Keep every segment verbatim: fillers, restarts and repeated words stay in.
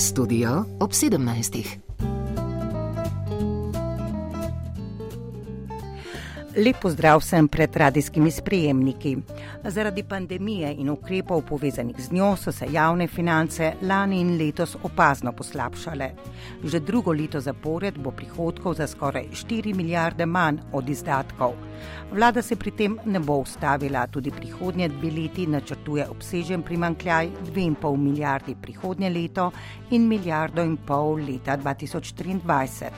Studio ob sedemnajstih. Lep pozdrav vsem pred radijskimi sprejemniki. Zaradi pandemije in ukrepov povezanih z njo so se javne finance lani in letos opazno poslabšale. Že drugo leto zapored bo prihodkov za skoraj štiri milijarde manj od izdatkov. Vlada se pri tem ne bo ustavila, tudi prihodnje dve leti načrtuje obsežen primanjkljaj dve in pol milijardi prihodnje leto in milijardo in pol leta dva tisoč triindvajset.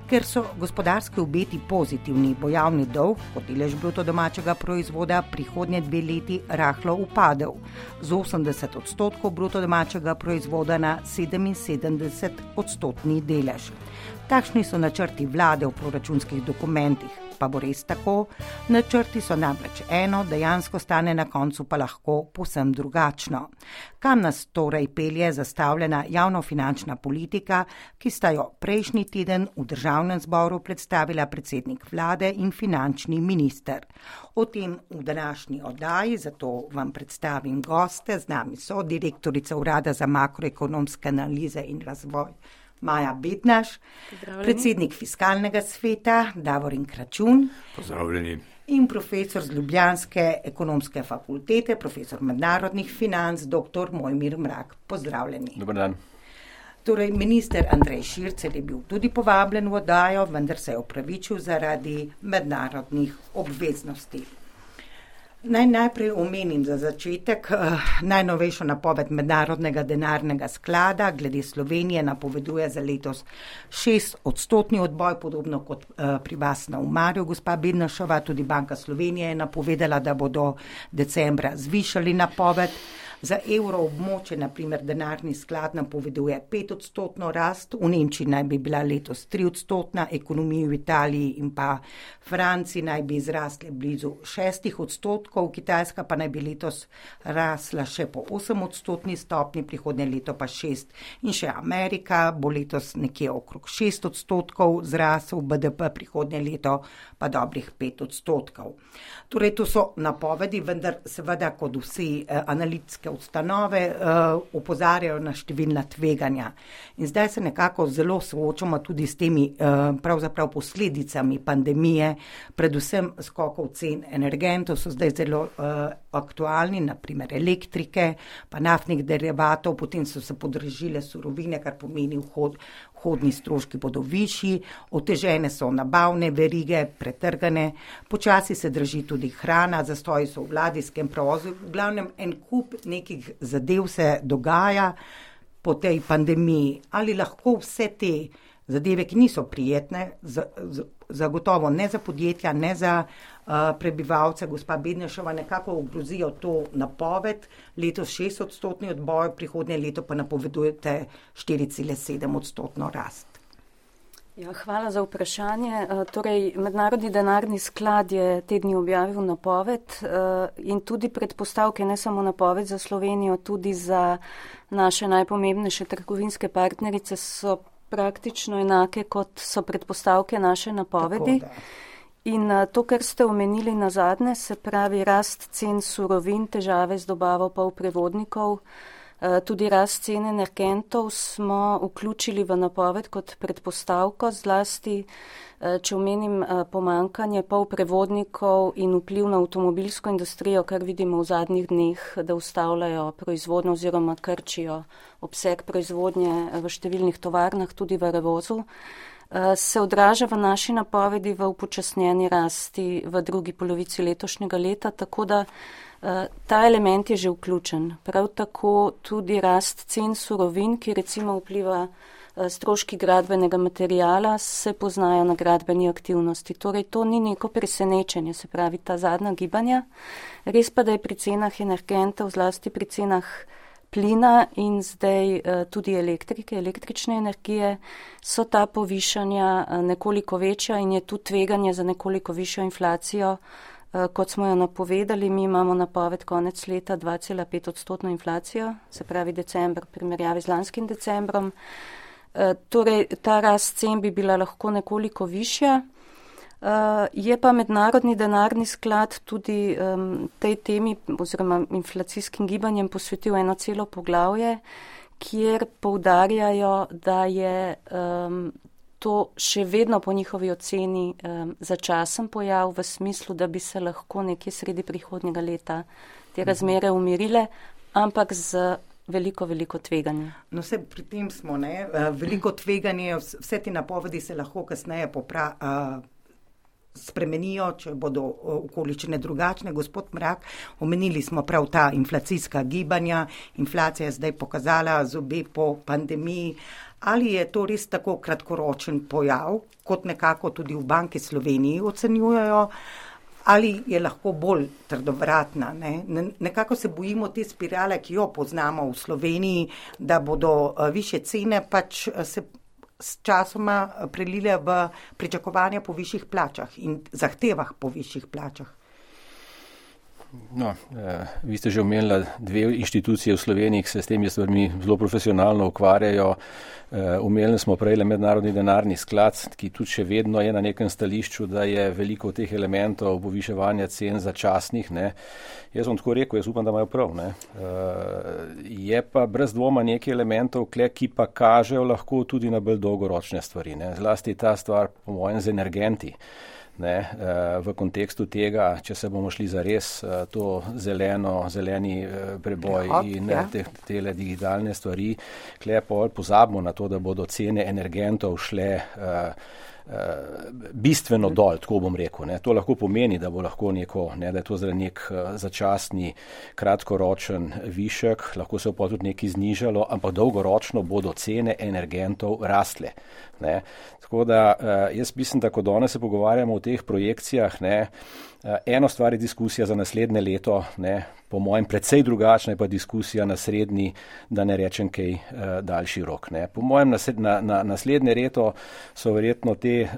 Ker so gospodarski obeti pozitivni, bo javni dolg kot delež bruto domačega proizvoda prihodnje dve leti rahlo upadel z osemdeset odstotkov bruto domačega proizvoda na sedeminsedemdeset odstotni delež. Takšni so načrti vlade v proračunskih dokumentih, pa bo res tako? Načrti so namreč eno, dejansko stane na koncu pa lahko povsem drugačno. Kam nas torej pelje zastavljena javnofinančna politika, ki sta jo prejšnji teden v državnem zboru predstavila predsednik vlade in finančni minister? O tem v današnji oddaji, zato vam predstavim goste. Z nami so direktorica Urada za makroekonomske analize in razvoj Maja Bednaš, predsednik Fiskalnega sveta Davorin Kračun. Pozdravljeni. In profesor z Ljubljanske ekonomske fakultete, profesor mednarodnih financ, doktor Mojmir Mrak. Pozdravljeni. Dobar dan. Torej, minister Andrej Šircelj je bil tudi povabljen v oddajo, vendar se je opravičil zaradi mednarodnih obveznosti. Naj najprej omenim za začetek uh, najnovejšo napoved Mednarodnega denarnega sklada. Glede Slovenije napoveduje za letos šest odstotni odboj, podobno kot uh, pri vas na Umarju, gospa Bednašova. Tudi Banka Slovenije je napovedala, da bodo decembra zvišali napoved. Za evroobmočje, na primer, denarni sklad napoveduje pet odstotno rast, v Nemčiji naj bi bila letos tri odstotna, ekonomiji v Italiji in pa Franciji naj bi zrasle blizu šestih odstotkov, Kitajska pa naj bi letos rasla še po osem odstotni stopni, prihodnje leto pa šest. In še Amerika bo letos nekje okrog šest odstotkov zrasel, B D P prihodnje leto pa dobrih pet odstotkov. Torej, to so napovedi, vendar seveda kot vsi eh, analitske ustanove uh, opozarjajo na številna tveganja. In zdaj se nekako zelo soočamo tudi s temi uh, pravzaprav posledicami pandemije, predvsem skokov cen energentov so zdaj zelo uh, aktualni, naprimer elektrike, pa naftnih derivatov, potem so se podražile surovine, kar pomeni vhod, vhodni stroški bodo višji, otežene so nabavne verige, pretrgane, počasi se draži tudi hrana, zastoji so v ladijskem prevozu, v glavnem en kup nekih zadev se dogaja po tej pandemiji. Ali lahko vse te zadeve, ki niso prijetne, zagotovo ne za podjetja, ne za uh, prebivalce, gospa Bednašova, nekako ogrozijo to napoved, letos šest odstotni odboj, prihodnje leto pa napovedujete štiri cela sedem odstotno rast. Ja, hvala za vprašanje. Torej, Mednarodni denarni sklad je te dni objavil napoved in tudi predpostavke, ne samo napoved za Slovenijo, tudi za naše najpomembnejše trgovinske partnerice so praktično enake, kot so predpostavke naše napovedi. Tako, in to, kar ste omenili na zadnje, se pravi rast cen surovin, težave z dobavo polprevodnikov, tudi rast cen energentov smo vključili v napoved kot predpostavko, zlasti, če omenim pomankanje polprevodnikov in vpliv na avtomobilsko industrijo, kar vidimo v zadnjih dneh, da ustavljajo proizvodnjo oziroma krčijo obseg proizvodnje v številnih tovarnah, tudi v revozu, se odraža v naši napovedi v upočasnjeni rasti v drugi polovici letošnjega leta, tako da ta element je že vključen. Prav tako tudi rast cen surovin, ki recimo vpliva stroški gradbenega materijala, se poznajo na gradbeni aktivnosti. Torej, to ni neko presenečenje, se pravi ta zadnja gibanja. Res pa, da je pri cenah energentov, zlasti pri cenah plina in zdaj tudi elektrike, električne energije, so ta povišanja nekoliko večja in je tu tveganje za nekoliko višjo inflacijo. Kot smo jo napovedali, mi imamo napoved konec leta dva cela pet odstotno inflacijo, se pravi decembr v primerjavi z lanskim decembrom. Torej, ta rast cen bi bila lahko nekoliko višja. Je pa Mednarodni denarni sklad tudi tej temi oziroma inflacijskim gibanjem posvetil eno celo poglavje, kjer poudarjajo, da je um, to še vedno po njihovi oceni um, začasen pojav v smislu, da bi se lahko nekje sredi prihodnjega leta te razmere umirile, ampak z veliko, veliko tveganje. No, vse pri tem smo, ne? Veliko tveganje, vse te napovedi se lahko kasneje popra, uh, spremenijo, če bodo okoličine drugačne. Gospod Mrak, omenili smo prav ta inflacijska gibanja, inflacija je zdaj pokazala zobe po pandemiji. Ali je to res tako kratkoročen pojav, kot nekako tudi v Banki Sloveniji ocenjujejo, ali je lahko bolj trdovratna? Ne? Nekako se bojimo te spirale, ki jo poznamo v Sloveniji, da bodo više cene pač se s časoma prelile v pričakovanja po višjih plačah in zahtevah po višjih plačah. No, eh, vi ste že omenili dve inštitucije v Sloveniji, ki se s temi stvarmi zelo profesionalno ukvarjajo. Eh, omenili smo prej Mednarodni denarni sklad, ki tudi še vedno je na nekem stališču, da je veliko teh elementov poviševanja cen začasnih. Ne. Jaz bom tako rekel, jaz upam, da imajo prav. Ne. Eh, je pa brez dvoma nekaj elementov, kle, ki pa kažejo lahko tudi na bolj dolgoročne stvari. Ne. Zlasti ta stvar, po mojem, z energenti. Ne, v kontekstu tega, če se bomo šli za res to zeleno, zeleni preboj in te, tele digitalne stvari, klepo pozabimo na to, da bodo cene energentov šle uh, uh, bistveno dol, tako bom rekel. Ne. To lahko pomeni, da bo lahko neko, ne, da je to zdaj nek začasni, kratkoročen višek, lahko se bo tudi nekaj znižalo, ampak dolgoročno bodo cene energentov rastle. Ne. Tako da jaz mislim, da ko danes se pogovarjamo o teh projekcijah, ne, eno stvar je diskusija za naslednje leto, ne, po mojem precej drugačna je pa diskusija na srednji, da ne rečem kaj daljši rok. Ne. Po mojem na, na, naslednje leto so verjetno te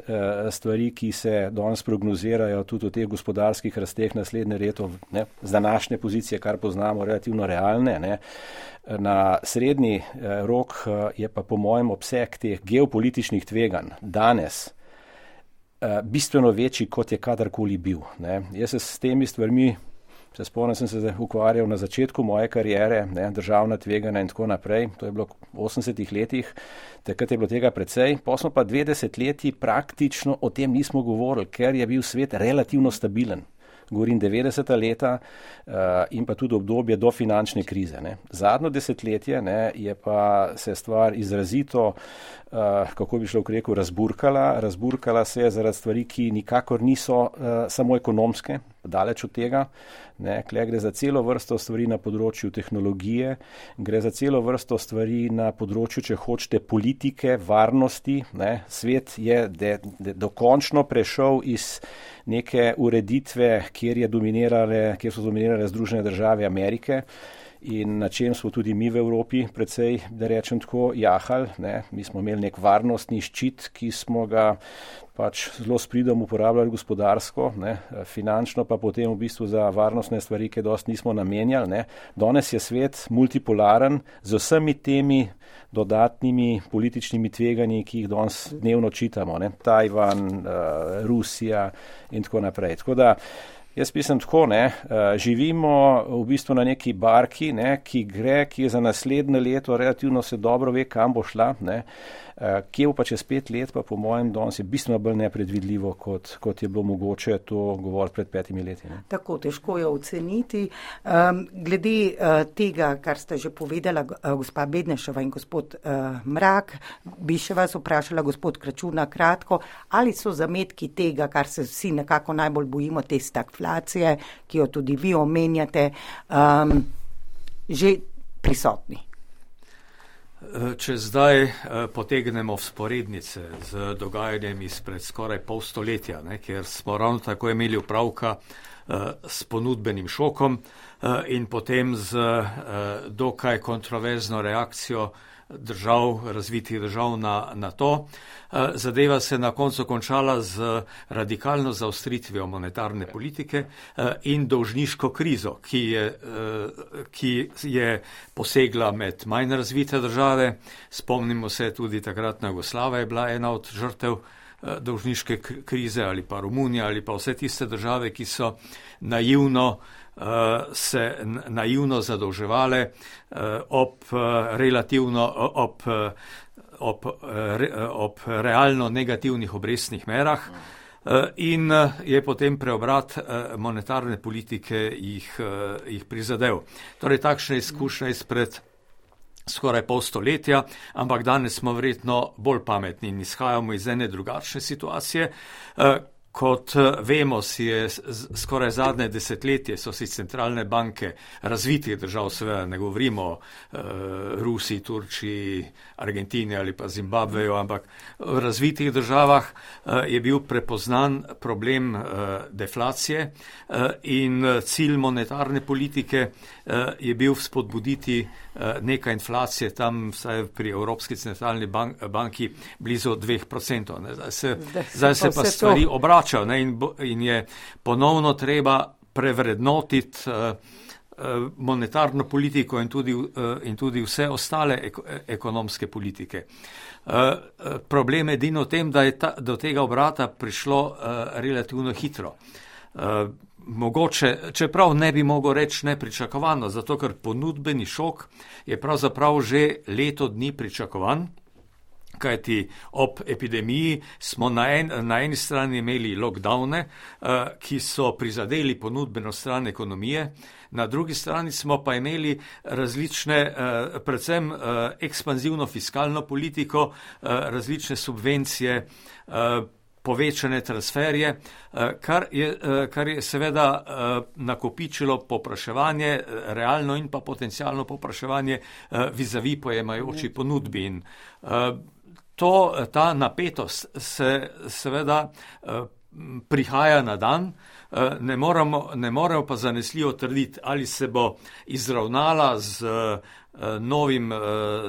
stvari, ki se danes prognozirajo tudi o teh gospodarskih rasteh naslednje leto, ne, z današnje pozicije, kar poznamo, relativno realne. Ne. Na srednji rok je pa po mojem obseg teh geopolitičnih tveganj danes bistveno večji, kot je kadarkoli bil. Ne. Jaz se s temi stvarmi, se spomnim, sem se ukvarjal na začetku moje kariere, ne, državna tveganja in tako naprej, to je bilo v osemdesetih letih, takrat je bilo tega precej, pa smo pa dve desetletji praktično o tem nismo govorili, ker je bil svet relativno stabilen. Govorim devetdeseta leta uh, in pa tudi obdobje do finančne krize. Ne. Zadnjo desetletje, ne, je pa se stvar izrazito, uh, kako bi šlo rekel, razburkala. Razburkala se je zaradi stvari, ki nikakor niso uh, samo ekonomske, daleč od tega. Ne. Kle gre za celo vrsto stvari na področju tehnologije, gre za celo vrsto stvari na področju, če hočete, politike, varnosti. Ne. Svet je de, de, dokončno prešel iz neke ureditve, kjer, je dominirale, kjer so dominirale Združene države Amerike in na čem smo tudi mi v Evropi precej, da rečem tako, jahali. Ne. Mi smo imeli nek varnostni ščit, ki smo ga pač zelo s pridom uporabljali gospodarsko, ne. Finančno pa potem v bistvu za varnostne stvari, ki dosti nismo namenjali. Ne. Danes je svet multipolaren z vsemi temi dodatnimi političnimi tveganji, ki jih danes dnevno čitamo. Ne. Tajvan, uh, Rusija in tako naprej. Tako da jaz mislim tako, ne, živimo v bistvu na neki barki, ne, ki gre, ki je za naslednje leto relativno se dobro ve, kam bo šla, ne. Kje bo pa čez pet let, pa po mojem danes je bistveno bolj nepredvidljivo, kot, kot je bilo mogoče to govoriti pred petimi leti. Ne. Tako, težko je oceniti. Um, glede uh, tega, kar ste že povedala, uh, gospa Bednešova in gospod uh, Mrak, bi še vas vprašala, gospod Kračun, na kratko, ali so zametki tega, kar se vsi nekako najbolj bojimo, te stagflacije, ki jo tudi vi omenjate, um, že prisotni? Če zdaj potegnemo vzporednice z dogajanjem izpred skoraj pol stoletja, ne, kjer smo ravno tako imeli upravka s ponudbenim šokom in potem z dokaj kontroverzno reakcijo držav, razvitih držav na, na to. Zadeva se na koncu končala z radikalno zaostritvijo monetarne politike in dolžniško krizo, ki je, ki je posegla med manj razvite države. Spomnimo se, tudi takratna Jugoslavija je bila ena od žrtev dolžniške krize ali pa Romunija ali pa vse tiste države, ki so naivno se naivno zadolževale ob relativno ob, ob, ob realno negativnih obrestnih merah. In je potem preobrat monetarne politike jih, jih prizadel. Torej, takšna izkušnja izpred skoraj pol stoletja, ampak danes smo verjetno bolj pametni in izhajamo iz ene drugačne situacije. Kot vemo, si je skoraj zadnje desetletje so si centralne banke razvitih držav, seveda ne govorimo o uh, Rusiji, Turčiji, Argentini ali pa Zimbabveju, ampak v razvitih državah uh, je bil prepoznan problem uh, deflacije uh, in cilj monetarne politike uh, je bil spodbuditi uh, nekaj inflacije tam vsaj pri Evropski centralni bank, banki blizu dveh procentov. Zdaj se, zdaj se pa stvari obračajo. Ne, in, in je ponovno treba prevrednotiti uh, uh, monetarno politiko in tudi, uh, in tudi vse ostale ek, ekonomske politike. Uh, uh, problem je edino v tem, da je ta, do tega obrata prišlo uh, relativno hitro. Uh, mogoče, čeprav ne bi mogel reči nepričakovano, zato ker ponudbeni šok je pravzaprav že leto dni pričakovan. Kajti ob epidemiji smo na, en, na eni strani imeli lockdowne, uh, ki so prizadeli ponudbeno stran ekonomije, na drugi strani smo pa imeli različne, uh, predvsem uh, ekspanzivno fiskalno politiko, uh, različne subvencije, uh, povečane transferje, uh, kar, je, uh, kar je seveda uh, nakopičilo popraševanje, realno in pa potencialno popraševanje uh, vizavi pojemajoči ponudbi. In, uh, To, ta napetost se seveda eh, prihaja na dan, eh, ne moremo, ne moremo pa zanesljivo trditi, ali se bo izravnala z, eh, novim, eh,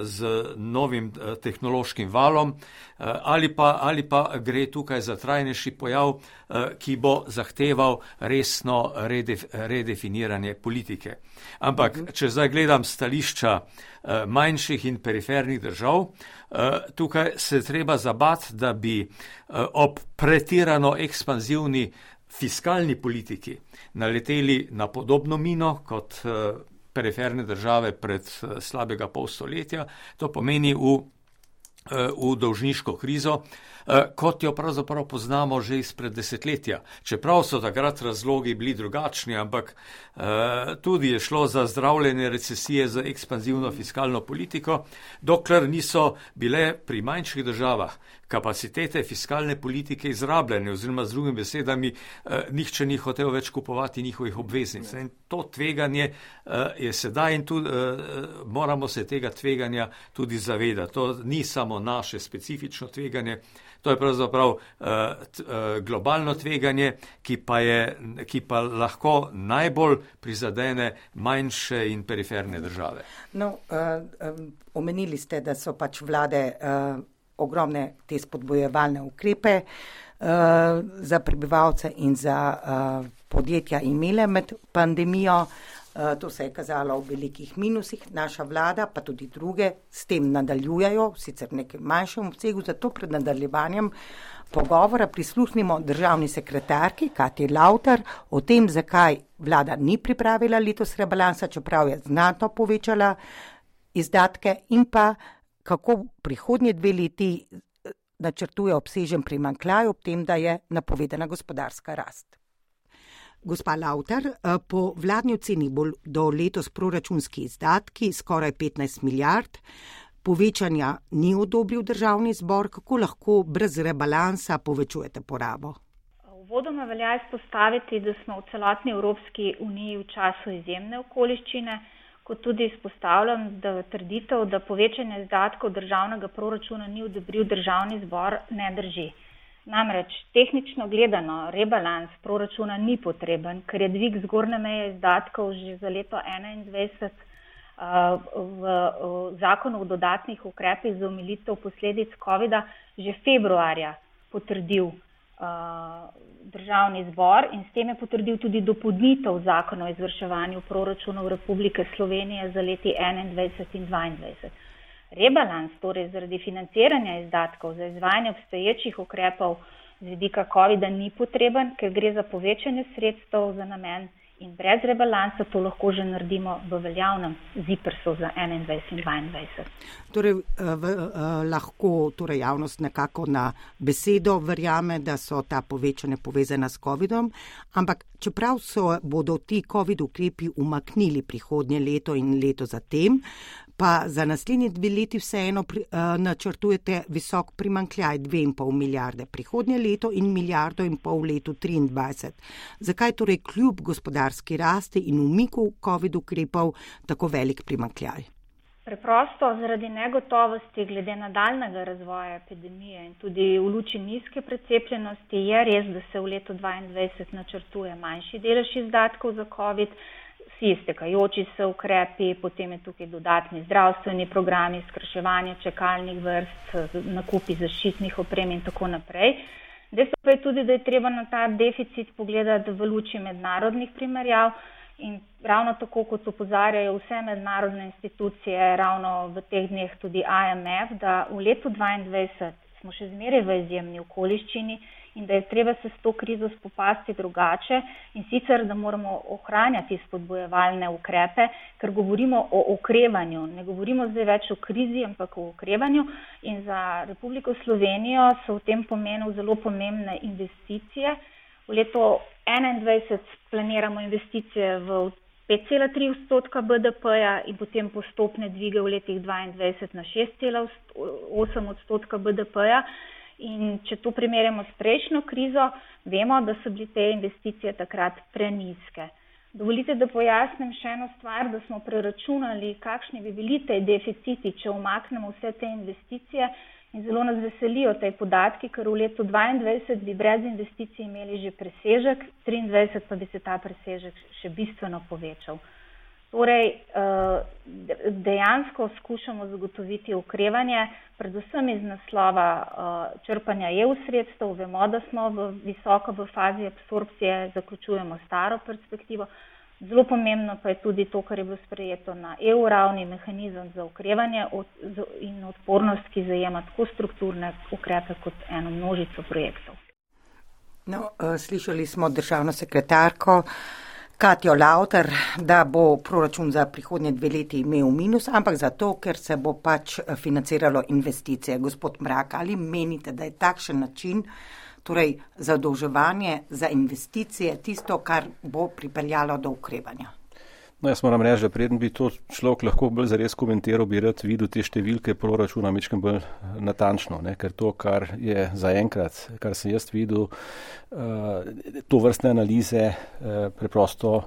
z novim eh, tehnološkim valom, eh, ali, pa, ali pa gre tukaj za trajnejši pojav, eh, ki bo zahteval resno redef, redefiniranje politike. Ampak, če zdaj gledam stališča eh, manjših in perifernih držav, tukaj se treba zabati, da bi ob pretirano ekspanzivni fiskalni politiki naleteli na podobno mino kot periferne države pred slabega pol stoletja. To pomeni v, v dolžniško krizo, kot jo pravzaprav poznamo že izpred desetletja. Čeprav so takrat razlogi bili drugačni, ampak tudi je šlo za zdravljenje recesije z ekspanzivno fiskalno politiko, dokler niso bile pri manjših državah kapacitete fiskalne politike izrabljene, oziroma z drugimi besedami, eh, nihče ni hotel več kupovati njihovih obveznic. In to tveganje eh, je sedaj in tudi eh, moramo se tega tveganja tudi zavedati. To ni samo naše specifično tveganje, to je pravzaprav eh, t, eh, globalno tveganje, ki pa, je, ki pa lahko najbolj prizadene manjše in periferne države. No, eh, eh, omenili ste, da so pač vlade eh, ogromne te spodbojevalne ukrepe uh, za prebivalce in za uh, podjetja imele med pandemijo. Uh, to se je kazalo v velikih minusih. Naša vlada, pa tudi druge, s tem nadaljujejo, sicer v nekem manjšem obsegu, zato pred nadaljevanjem pogovora prisluhnimo državni sekretarki Katji Lautar o tem, zakaj vlada ni pripravila letos rebalansa, čeprav je znatno povečala izdatke, in pa kako prihodnje dve leti načrtuje obsežen primanjkljaj, ob tem, da je napovedana gospodarska rast. Gospa Lautar, po vladni oceni bodo letos proračunski izdatki skoraj petnajst milijard, povečanja ni odobril državni zbor, kako lahko brez rebalansa povečujete porabo? Uvodoma velja izpostaviti, da smo v celotni Evropski uniji v času izjemne okoliščine, kot tudi izpostavljam, da trditev, da povečanje izdatkov državnega proračuna ni odobril državni zbor, ne drži. Namreč, tehnično gledano, rebalans proračuna ni potreben, ker je dvig zgornje meje izdatkov že za leto enaindvajset uh, v, v zakonu o dodatnih ukrepih za omilitev posledic covida že februarja potrdil državni zbor in s tem je potrdil tudi dopolnitev zakona o izvrševanju proračunov Republike Slovenije za leti enaindvajset in dvaindvajset. Rebalans, torej zaradi financiranja izdatkov za izvajanje obstoječih ukrepov z vidika covida ni potreben, ker gre za povečanje sredstev za namen in brez rebalansa to lahko že naredimo v veljavnem ZIPRS-u za enaindvajset in dvaindvajset. Torej, v, eh, lahko torej javnost nekako na besedo verjame, da so ta povečanja povezana s covidom, ampak čeprav so, bodo ti covid ukrepi umaknili prihodnje leto in leto zatem, pa za naslednji dve leti vseeno pri, uh, načrtujete visok primankljaj dve in pol milijarde prihodnje leto in milijardo in pol v letu triindvajset. Zakaj torej kljub gospodarski rasti in umiku covid ukrepov tako velik primankljaj? Preprosto zaradi negotovosti glede nadaljnega razvoja epidemije in tudi v luči nizke precepljenosti je res, da se v letu dvaindvajset načrtuje manjši delež izdatkov za covid, vsi iztekajoči se ukrepi, potem je tukaj dodatni zdravstveni programi, skrajševanje čakalnih vrst, nakupi zaščitnih oprem in tako naprej. Dejstvo pa je tudi, da je treba na ta deficit pogledati v luči mednarodnih primerjav in ravno tako, kot opozarjajo vse mednarodne institucije, ravno v teh dneh tudi I M F, da v letu dvaindvajset smo še zmeraj v izjemni okoliščini in da je treba se s to krizo spopasti drugače in sicer, da moramo ohranjati spodbojevalne ukrepe, ker govorimo o okrevanju. Ne govorimo zdaj več o krizi, ampak o okrevanju in za Republiko Slovenijo so v tem pomenu zelo pomembne investicije. V letu enaindvajset planiramo investicije v pet cela tri odstotka B D P-ja in potem postopne dvige v letih dvaindvajset na šest cela osem odstotka B D P-ja. In če to primerjamo s prejšnjo krizo, vemo, da so bile te investicije takrat prenizke. Dovolite, da pojasnim še eno stvar, da smo preračunali, kakšni bi bili te deficiti, če umaknemo vse te investicije in zelo nas veselijo te podatki, ker v letu dvaindvajset bi brez investicij imeli že presežek, triindvajset pa bi se ta presežek še bistveno povečal. Torej, dejansko skušamo zagotoviti okrevanje, predvsem iz naslova črpanja E U sredstev. Vemo, da smo v visoko v fazi absorpcije, zaključujemo staro perspektivo. Zelo pomembno pa je tudi to, kar je bilo sprejeto na E U ravni, mehanizem za okrevanje in odpornost, ki zajema tako strukturne ukrepe kot eno množico projektov. No, slišali smo državno sekretarko Katjo Lauter, da bo proračun za prihodnje dve leti imel minus, ampak zato, ker se bo pač financiralo investicije. Gospod Mrak, ali menite, da je takšen način, torej zadolževanje za investicije, tisto, kar bo pripeljalo do ukrevanja? No, jaz moram reči, da preden bi to človek lahko bolj zares komentiral, bi rad videl te številke proračuna mečkem bolj natančno, ne? Ker to, kar je zaenkrat, kar sem jaz videl, uh, to vrstne analize uh, preprosto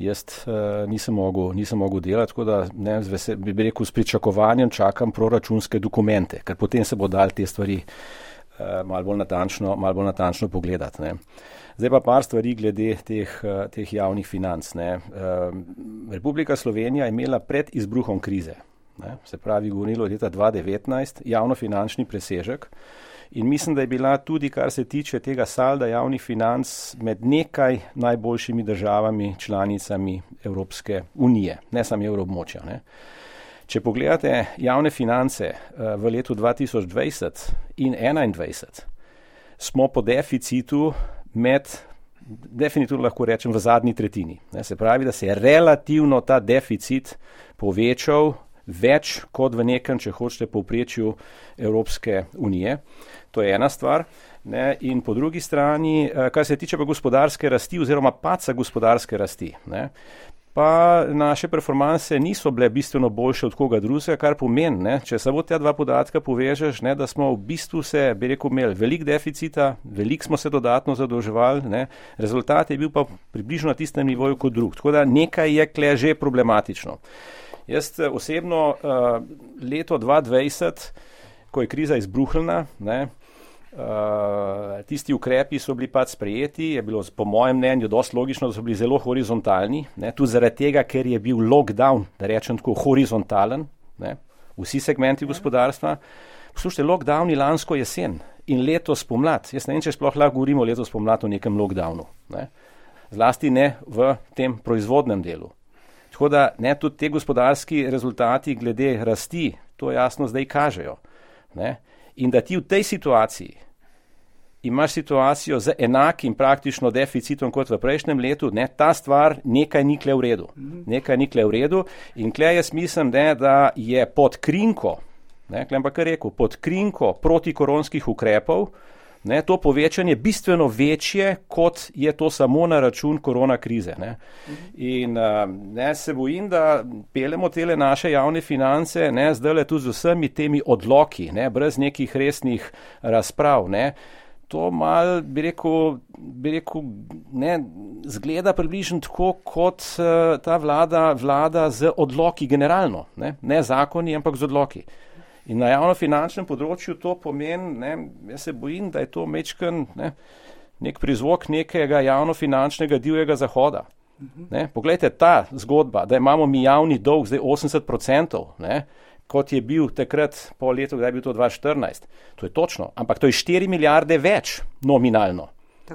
jaz uh, nisem mogel, nisem mogel delati, tako da ne, zvese, bi rekel, s pričakovanjem čakam proračunske dokumente, ker potem se bo dal te stvari uh, malo bolj natančno, malo bolj natančno pogledati, ne. Zdaj pa par stvari glede teh, teh javnih financ. Ne. Republika Slovenija je imela pred izbruhom krize, ne, se pravi, govorilo leta dva devetnajst, javnofinančni presežek in mislim, da je bila tudi, kar se tiče tega salda javnih financ, med nekaj najboljšimi državami, članicami Evropske unije, ne samo evroobmočja. Ne. Če pogledate javne finance v letu dva tisoč dvajset in enaindvajset, smo po deficitu med, definitivno lahko rečem, v zadnji tretjini. Ne, se pravi, da se je relativno ta deficit povečal več kot v nekem, če hočete, povprečju Evropske unije. To je ena stvar. Ne, in po drugi strani, kar se tiče pa gospodarske rasti oziroma paca gospodarske rasti, ne, pa naše performanse niso bile bistveno boljše od koga drugega, kar pomeni, ne, če samo te dva podatka povežeš, ne, da smo v bistvu se, bi rekel, imeli velik deficita, velik smo se dodatno zadolževali, ne, rezultat je bil pa približno na tistem nivoju kot drug. Tako da nekaj je kle že problematično. Jaz osebno uh, leto dva dvajset, ko je kriza izbruhnila, ne, Uh, tisti ukrepi so bili pač sprejeti, je bilo po mojem mnenju dosti logično, da so bili zelo horizontalni, ne, tudi zaradi tega, ker je bil lockdown, da rečem tako, horizontalen, ne, vsi segmenti gospodarstva. Poslušajte, lockdowni lansko jesen in letos pomlad, jaz ne vem, če sploh lahko govorimo letos pomlad o nekem lockdownu, ne, zlasti ne v tem proizvodnem delu. Tako da ne, tudi te gospodarski rezultati glede rasti, to jasno zdaj kažejo. Ne? In da ti v tej situaciji imaš situacijo z enakim praktično deficitom kot v prejšnjem letu, ne, ta stvar nekaj ni kle v redu. Nekaj ni kle v redu in kle jaz mislim, ne, da je pod krinko, ne, kle pa kar rekel, pod krinko protikoronskih ukrepov, ne, to povečanje bistveno večje, kot je to samo na račun korona krize. Ne. In ne, se bojim, da pelemo tele naše javne finance, ne, zdajle tudi z vsemi temi odloki, ne, brez nekih resnih razprav, ne. To mal, bi rekel, bi rekel, ne, zgleda približno tako, kot uh, ta vlada vlada z odloki generalno, ne, ne zakoni, ampak z odloki. In na javnofinančnem področju to pomeni, ne, jaz se bojim, da je to mečken, ne, nek prizvok nekega javnofinančnega divjega zahoda. Ne. Poglejte, ta zgodba, da imamo mi javni dolg zdaj osemdeset procentov, ne, kot je bil takrat po letu, kdaj je bil to dva tisoč štirinajst. To je točno, ampak to je štiri milijarde več nominalno.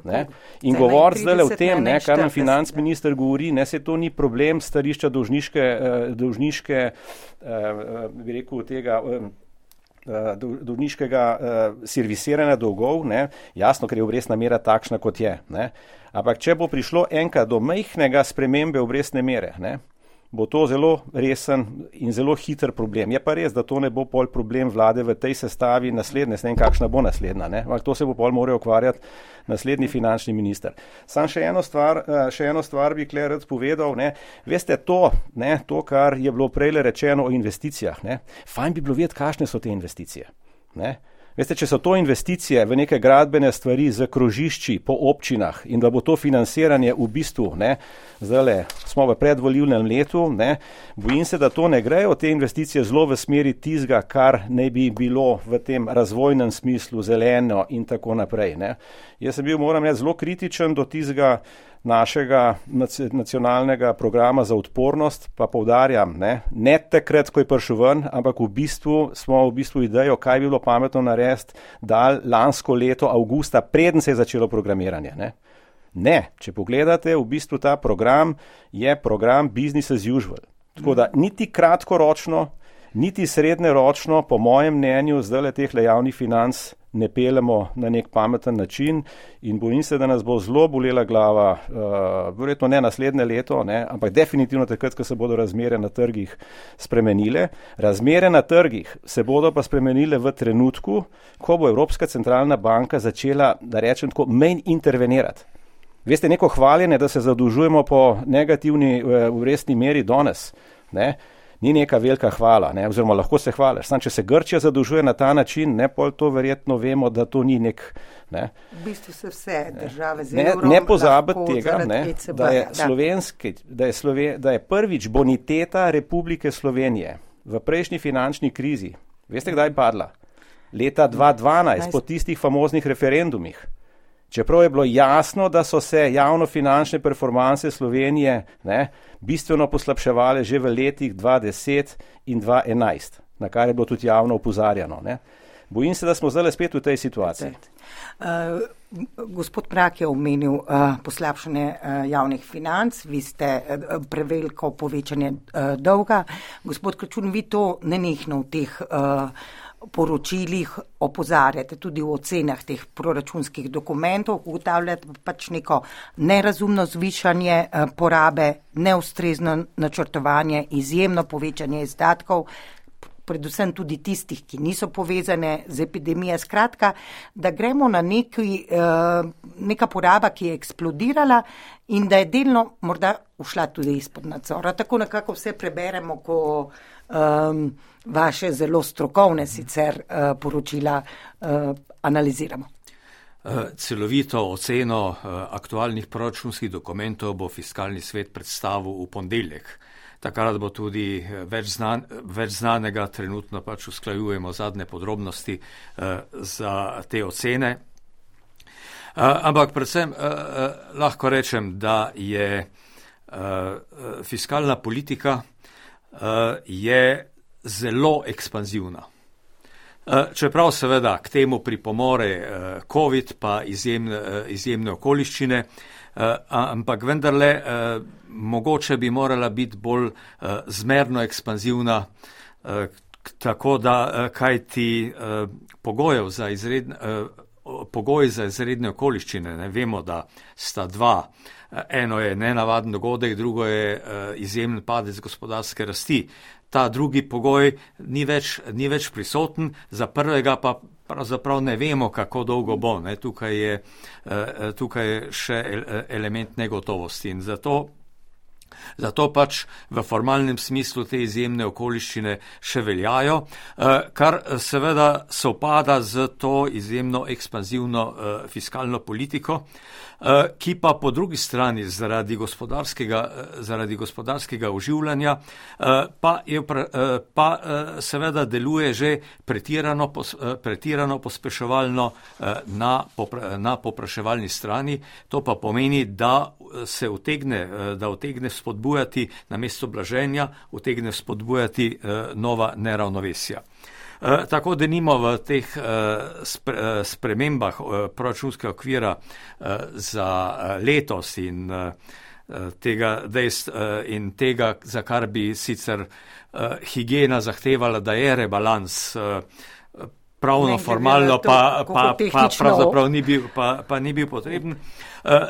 Ne? In govoriti zdaj o tem, ne, kar nam financ minister govori, ne, se to ni problem stališča dolžniške, dolžniške bi rekel, tega dolžniškega servisiranja dolgov, ne, jasno, ker je obrestna mera takšna, kot je. Ne. Ampak če bo prišlo enkrat do majhnega spremembe obrestne mere, ne, bo to zelo resen in zelo hiter problem. Je pa res, da to ne bo pol problem vlade v tej sestavi naslednje, ne vem, kakšna bo naslednja, ne? Ampak to se bo pol moral ukvarjati naslednji finančni minister. Sam še eno stvar, še eno stvar bi kle rad povedal, ne? Veste to, ne, to, kar je bilo prejle rečeno o investicijah, ne? Fajn bi bilo vedeti, kakšne so te investicije, ne? Veste, če so to investicije v neke gradbene stvari z krožišči po občinah in da bo to financiranje v bistvu, ne, zdajle smo v predvolilnem letu, ne, bojim se, da to ne grejo, te investicije zelo v smeri tizga, kar ne bi bilo v tem razvojnem smislu zeleno in tako naprej. Ne. Jaz sem bil, moram reči, zelo kritičen do tizga našega nacionalnega programa za odpornost, pa poudarjam, ne, ne takrat, ko je prišel ven, ampak v bistvu smo v bistvu idejo, kaj bi bilo pametno narediti, dal lansko leto avgusta, preden se je začelo programiranje. Ne. ne, če pogledate, v bistvu ta program je program business as usual. Tako da niti kratkoročno, niti srednjeročno, po mojem mnenju, zdajle teh javnih financ ne pelemo na nek pameten način in bojim se, da nas bo zelo bolela glava, uh, verjetno ne naslednje leto, ne, ampak definitivno takrat, ko se bodo razmere na trgih spremenile. Razmere na trgih se bodo pa spremenile v trenutku, ko bo Evropska centralna banka začela, da rečem tako, manj intervenirati. Veste, neko hvaljenje, da se zadolžujemo po negativni obrestni meri danes, ne, ni neka velika hvala, ne, oziroma lahko se hvališ. Sam, če se Grčija zadolžuje na ta način, ne, pol to verjetno vemo, da to ni nek, ne. V bistvu se vse države z ne, evrom ne pozabiti tega, ne, da je da. slovenski, da je, Sloven, da je prvič boniteta Republike Slovenije v prejšnji finančni krizi, veste, kdaj je padla? Leta dva tisoč dvanajst, po tistih famoznih referendumih. Čeprav je bilo jasno, da so se javnofinančne performanse Slovenije, ne, bistveno poslabševale že v letih dva tisoč deset in dva tisoč enajst, na kar je bilo tudi javno opozarjano. Ne. Bojim se, da smo zdaj spet v tej situaciji. Uh, gospod Mrak je omenil uh, poslabšanje uh, javnih financ, vi ste uh, preveliko povečanje uh, dolga. Gospod Kračun, vi to nenehno v teh uh, poročilih opozarjate, tudi v ocenah teh proračunskih dokumentov, ugotavljate pač neko nerazumno zvišanje uh, porabe, neustrezno načrtovanje, izjemno povečanje izdatkov, predvsem tudi tistih, ki niso povezane z epidemijo. Skratka, da gremo na neki, neka poraba, ki je eksplodirala in da je delno morda ušla tudi izpod nadzora. Tako nekako vse preberemo, ko um, vaše zelo strokovne sicer uh, poročila uh, analiziramo. Celovito oceno aktualnih proračunskih dokumentov bo fiskalni svet predstavil v ponedeljek. Takrat bo tudi več, znan, več znanega, trenutno pač usklajujemo zadnje podrobnosti uh, za te ocene. Uh, ampak predvsem uh, lahko rečem, da je uh, fiskalna politika uh, je zelo ekspanzivna. Uh, čeprav seveda k temu pripomore uh, COVID pa izjemne, uh, izjemne okoliščine, ampak vendarle mogoče bi morala biti bolj zmerno ekspanzivna, tako da kaj ti pogojev za izredne, pogoji za izredne okoliščine, ne vemo, da sta dva. Eno je nenavaden dogodek, drugo je izjemen padec gospodarske rasti. Ta drugi pogoj ni več, ni več prisoten, za prvega pa pravzaprav ne vemo, kako dolgo bo. Ne. Tukaj je, tukaj je še element negotovosti in zato Zato pač v formalnem smislu te izjemne okoliščine še veljajo, kar seveda sovpada z to izjemno ekspanzivno fiskalno politiko, ki pa po drugi strani zaradi gospodarskega, zaradi gospodarskega oživljanja pa, je, pa seveda deluje že pretirano, pretirano pospeševalno na, na popraševalni strani. To pa pomeni, da se utegne, da utegne spodbujati namesto blaženja, utegne spodbujati nova neravnovesja. Tako denimo v teh spremembah proračunskega okvira za letos in tega, in tega, za kar bi sicer higiena zahtevala, da je rebalans, pravno, formalno pa, pa, pa pravzaprav ni bil, pa, pa ni bil potreben.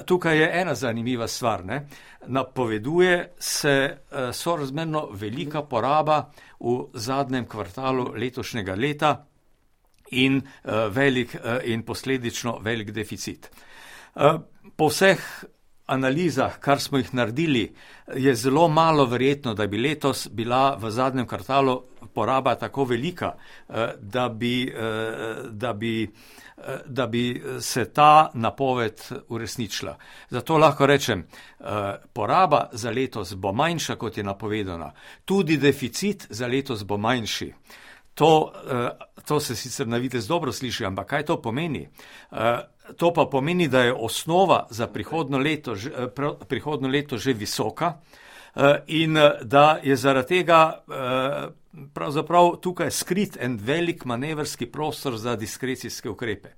Tukaj je ena zanimiva stvar. Ne? Napoveduje se sorazmerno velika poraba v zadnjem kvartalu letošnjega leta in, velik, in posledično velik deficit. Po vseh analizah, kar smo jih naredili, je zelo malo verjetno, da bi letos bila v zadnjem kvartalu poraba tako velika, da bi, da bi, da bi se ta napoved uresničila. Zato lahko rečem, poraba za letos bo manjša, kot je napovedana. Tudi deficit za letos bo manjši. To, to se sicer na videz dobro sliši, ampak kaj to pomeni? To pa pomeni, da je osnova za prihodnjo leto, prihodnjo leto že visoka in da je zaradi tega pravzaprav tukaj skrit en velik manevrski prostor za diskrecijske ukrepe.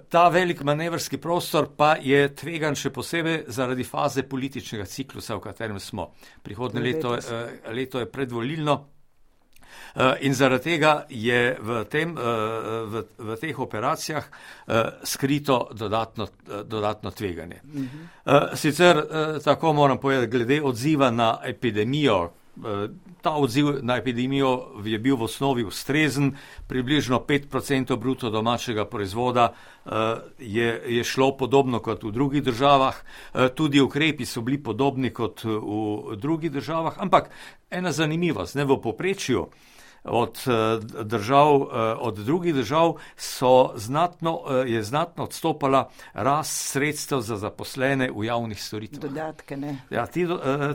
Ta velik manevrski prostor pa je tvegan še posebej zaradi faze političnega ciklusa, v katerem smo. Prihodnje leto, leto je predvolilno. In zaradi tega je v, tem, v, v teh operacijah skrito dodatno, dodatno tveganje. Sicer tako moram povedati, glede odziva na epidemijo, ta odziv na epidemijo je bil v osnovi ustrezen, približno pet procentov bruto domačega proizvoda je, je šlo podobno kot v drugih državah, tudi ukrepi so bili podobni kot v drugih državah, ampak ena zanimivost, ne, v povprečju od držav, od drugih držav so znatno, je znatno odstopala rast sredstev za zaposlene v javnih storitvah. Dodatke, ne? Ja, ti,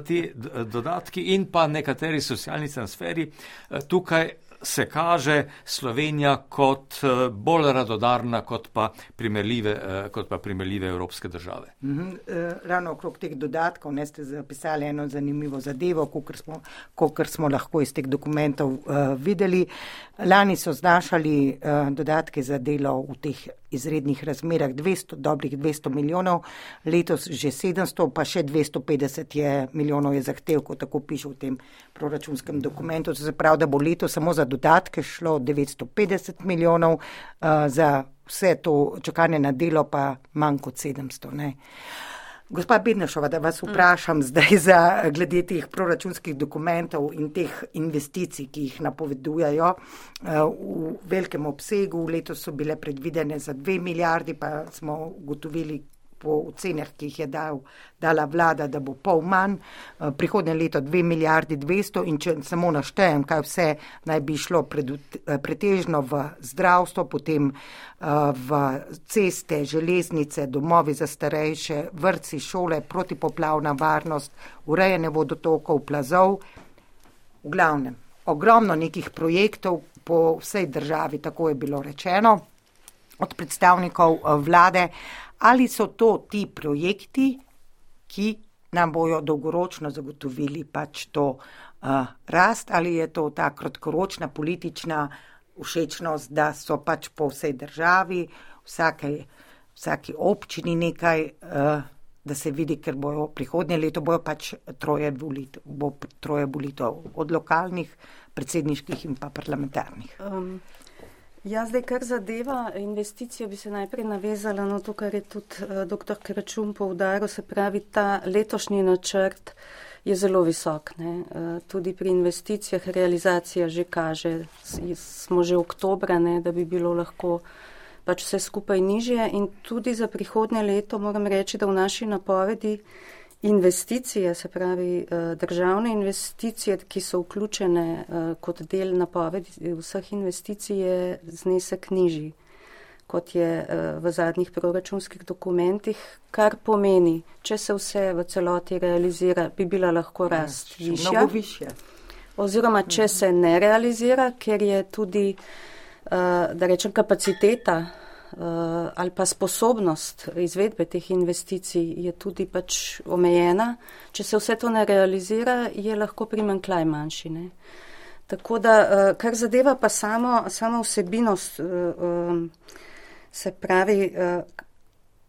ti dodatki in pa nekateri socialni transferi, tukaj se kaže Slovenija kot bolj radodarna kot pa primerljive, kot pa primerljive evropske države. Mm-hmm. Ravno okrog teh dodatkov ne ste zapisali eno zanimivo zadevo, kakor smo, kakor smo lahko iz teh dokumentov uh, videli. Lani so znašali uh, dodatke za delo v teh izrednih razmerah dvesto, dobrih dvesto milijonov, letos že sedemsto, pa še dvesto petdeset je milijonov je zahtevkov, tako piše v tem proračunskem dokumentu. To se pravi, da bo letos samo za dodatke šlo devetsto petdeset milijonov, uh, za vse to čakanje na delo pa manj kot sedemsto. Ne. Gospa Bednaršova, da vas vprašam mm. zdaj za glede teh proračunskih dokumentov in teh investicij, ki jih napovedujejo v velikem obsegu. Letos so bile predvidene za dve milijardi, pa smo ugotovili po ocenah, ki jih je dal, dala vlada, da bo pol manj. Prihodnje leto dve milijardi dvesto in če samo naštejem, kaj vse naj bi šlo pred, pretežno v zdravstvo, potem v ceste, železnice, domovi za starejše, vrtci, šole, protipoplavna varnost, urejanje vodotokov, plazov. V glavnem, ogromno nekih projektov po vsej državi, tako je bilo rečeno od predstavnikov vlade. Ali so to ti projekti, ki nam bojo dolgoročno zagotovili pač to uh, rast, ali je to ta kratkoročna politična všečnost, da so pač po vsej državi, vsake, vsaki občini nekaj uh, da se vidi, ker bojo prihodnje leto bojo pač troje volitev, bo troje volitev od lokalnih, predsedniških in pa parlamentarnih. Um, ja, zdaj, kar zadeva investicijo, bi se najprej navezala na to, kar je tudi uh, doktor Kračun poudaril, se pravi, ta letošnji načrt je zelo visok. Ne? Uh, tudi pri investicijah realizacija že kaže, smo že oktobra, ne, da bi bilo lahko pač vse skupaj nižje in tudi za prihodnje leto moram reči, da v naši napovedi investicije, se pravi državne investicije, ki so vključene kot del napovedi vseh investicij, je znesek nižji, kot je v zadnjih proračunskih dokumentih, kar pomeni, če se vse v celoti realizira, bi bila lahko rast ja, višja. Mnogo višja. Oziroma, če se ne realizira, ker je tudi da rečem, kapaciteta ali pa sposobnost izvedbe teh investicij je tudi pač omejena. Če se vse to ne realizira, je lahko primanjkljaj manjši. Ne? Tako da, kar zadeva pa samo, samo vsebinost, se pravi,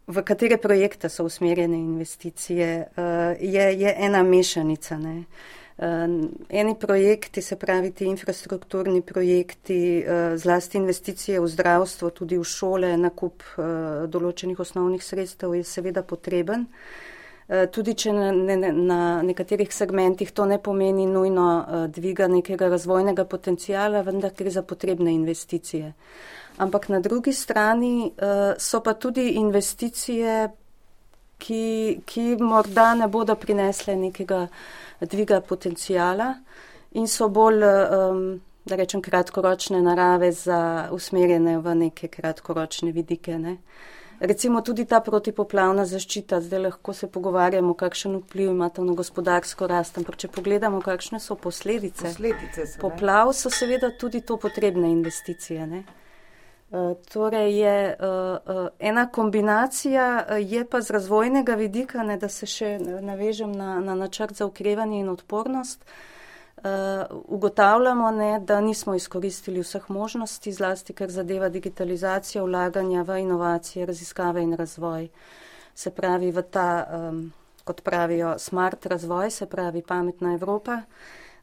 v katere projekte so usmerjene investicije, je, je ena mešanica. Ne? Eni projekti, se pravi ti infrastrukturni projekti, zlasti investicije v zdravstvo, tudi v šole, nakup določenih osnovnih sredstev je seveda potreben. Tudi če na, ne, na nekaterih segmentih to ne pomeni nujno dviga nekega razvojnega potencijala, vendar gre za potrebne investicije. Ampak na drugi strani so pa tudi investicije, ki, ki morda ne bodo prinesle nekega dviga potencijala in so bolj, um, da rečem, kratkoročne narave za usmerjene v neke kratkoročne vidike. Ne. Recimo tudi ta protipoplavna zaščita, zdaj lahko se pogovarjamo, kakšen vpliv ima to na gospodarsko rast, ampak če pogledamo, kakšne so posledice, posledice so, poplav, so seveda tudi to potrebne investicije. Ne. Uh, torej je uh, uh, ena kombinacija, uh, je pa z razvojnega vidika, ne, da se še navežem na, na načrt za okrevanje in odpornost, uh, ugotavljamo, ne, da nismo izkoristili vseh možnosti, zlasti kar zadeva digitalizacijo, vlaganja v inovacije, raziskave in razvoj. Se pravi v ta, um, kot pravijo, smart razvoj, se pravi pametna Evropa.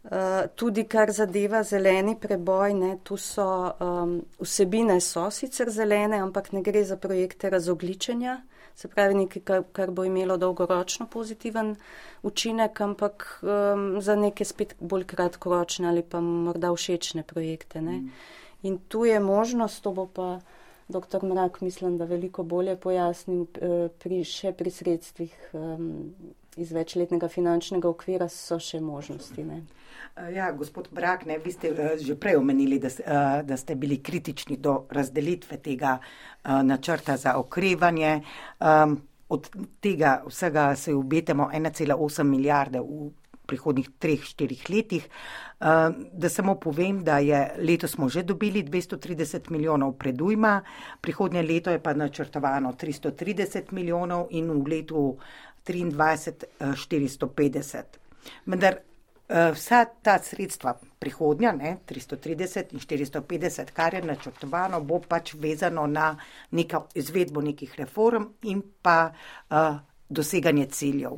Uh, tudi kar zadeva zeleni preboj, ne, tu so um, vsebine so sicer zelene, ampak ne gre za projekte razogličenja, se pravi nekaj, kar, kar bo imelo dolgoročno pozitiven učinek, ampak um, za neke spet bolj kratkoročne ali pa morda všečne projekte. Ne. In tu je možnost, to bo pa doktor Mrak, mislim, da veliko bolje pojasnil uh, pri, še pri sredstvih um, iz večletnega finančnega okvira so še možnosti. Ne. Ja, gospod Mrak, ne, vi ste uh, že prej omenili, da, uh, da ste bili kritični do razdelitve tega uh, načrta za okrevanje. Um, od tega vsega se obetamo ena cela osem milijarde v prihodnih treh, štirih letih. Uh, da samo povem, da je letos smo že dobili dvesto trideset milijonov predujma, prihodnje leto je pa načrtovano tristo trideset milijonov in v letu triindvajset štiristo petdeset. Vendar vsa ta sredstva prihodnja, ne, tristo trideset in štiristo petdeset, kar je načrtovano, bo pač vezano na neka izvedbo nekih reform in pa uh, doseganje ciljev.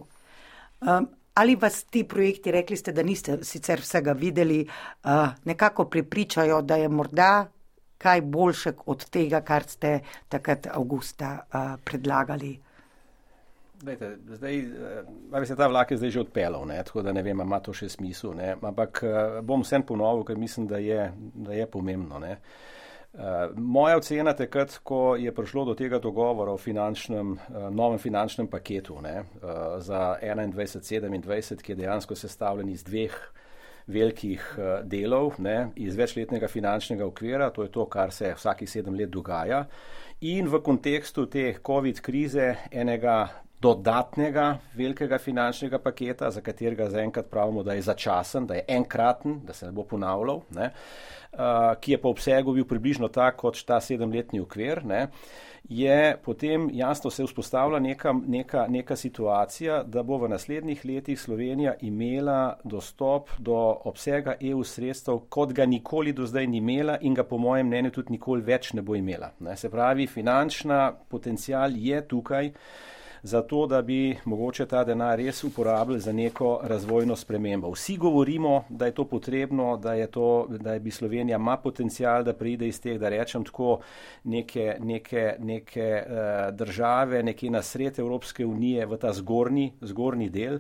Um, ali vas ti projekti, rekli ste, da niste sicer vsega videli, uh, nekako prepričajo, da je morda kaj boljše od tega, kar ste takrat avgusta uh, predlagali? Dajte, zdaj, ali se ta vlak je zdaj že odpeljal, ne, tako da ne vem, ima to še smisel, ne, ampak bom vsem ponovil, ker mislim, da je, da je pomembno, ne. Moja ocena takrat, ko je prišlo do tega dogovora o finančnem, novem finančnem paketu, ne, za enaindvajset sedemindvajset, ki je dejansko sestavljen iz dveh velikih delov, ne, iz večletnega finančnega okvira, to je to, kar se vsakih sedem let dogaja, in v kontekstu te COVID krize enega dodatnega velikega finančnega paketa, za katerega zaenkrat pravimo, da je začasen, da je enkraten, da se ne bo ponavljal, ne, uh, ki je po obsegu bil približno tak kot ta sedemletni okvir, ne, je potem jasno se vzpostavila neka, neka, neka situacija, da bo v naslednjih letih Slovenija imela dostop do obsega E U sredstev, kot ga nikoli do zdaj ni imela in ga po mojem mnenju tudi nikoli več ne bo imela. Ne. Se pravi, finančna potencial je tukaj. za to, da bi mogoče ta denar res uporabili za neko razvojno spremembo. Vsi govorimo, da je to potrebno, da je to, da je bi Slovenija ima potencial, da pride iz teh, da rečem tako, neke, neke, neke uh, države, nekje na sred Evropske unije v ta zgornji, zgornji del.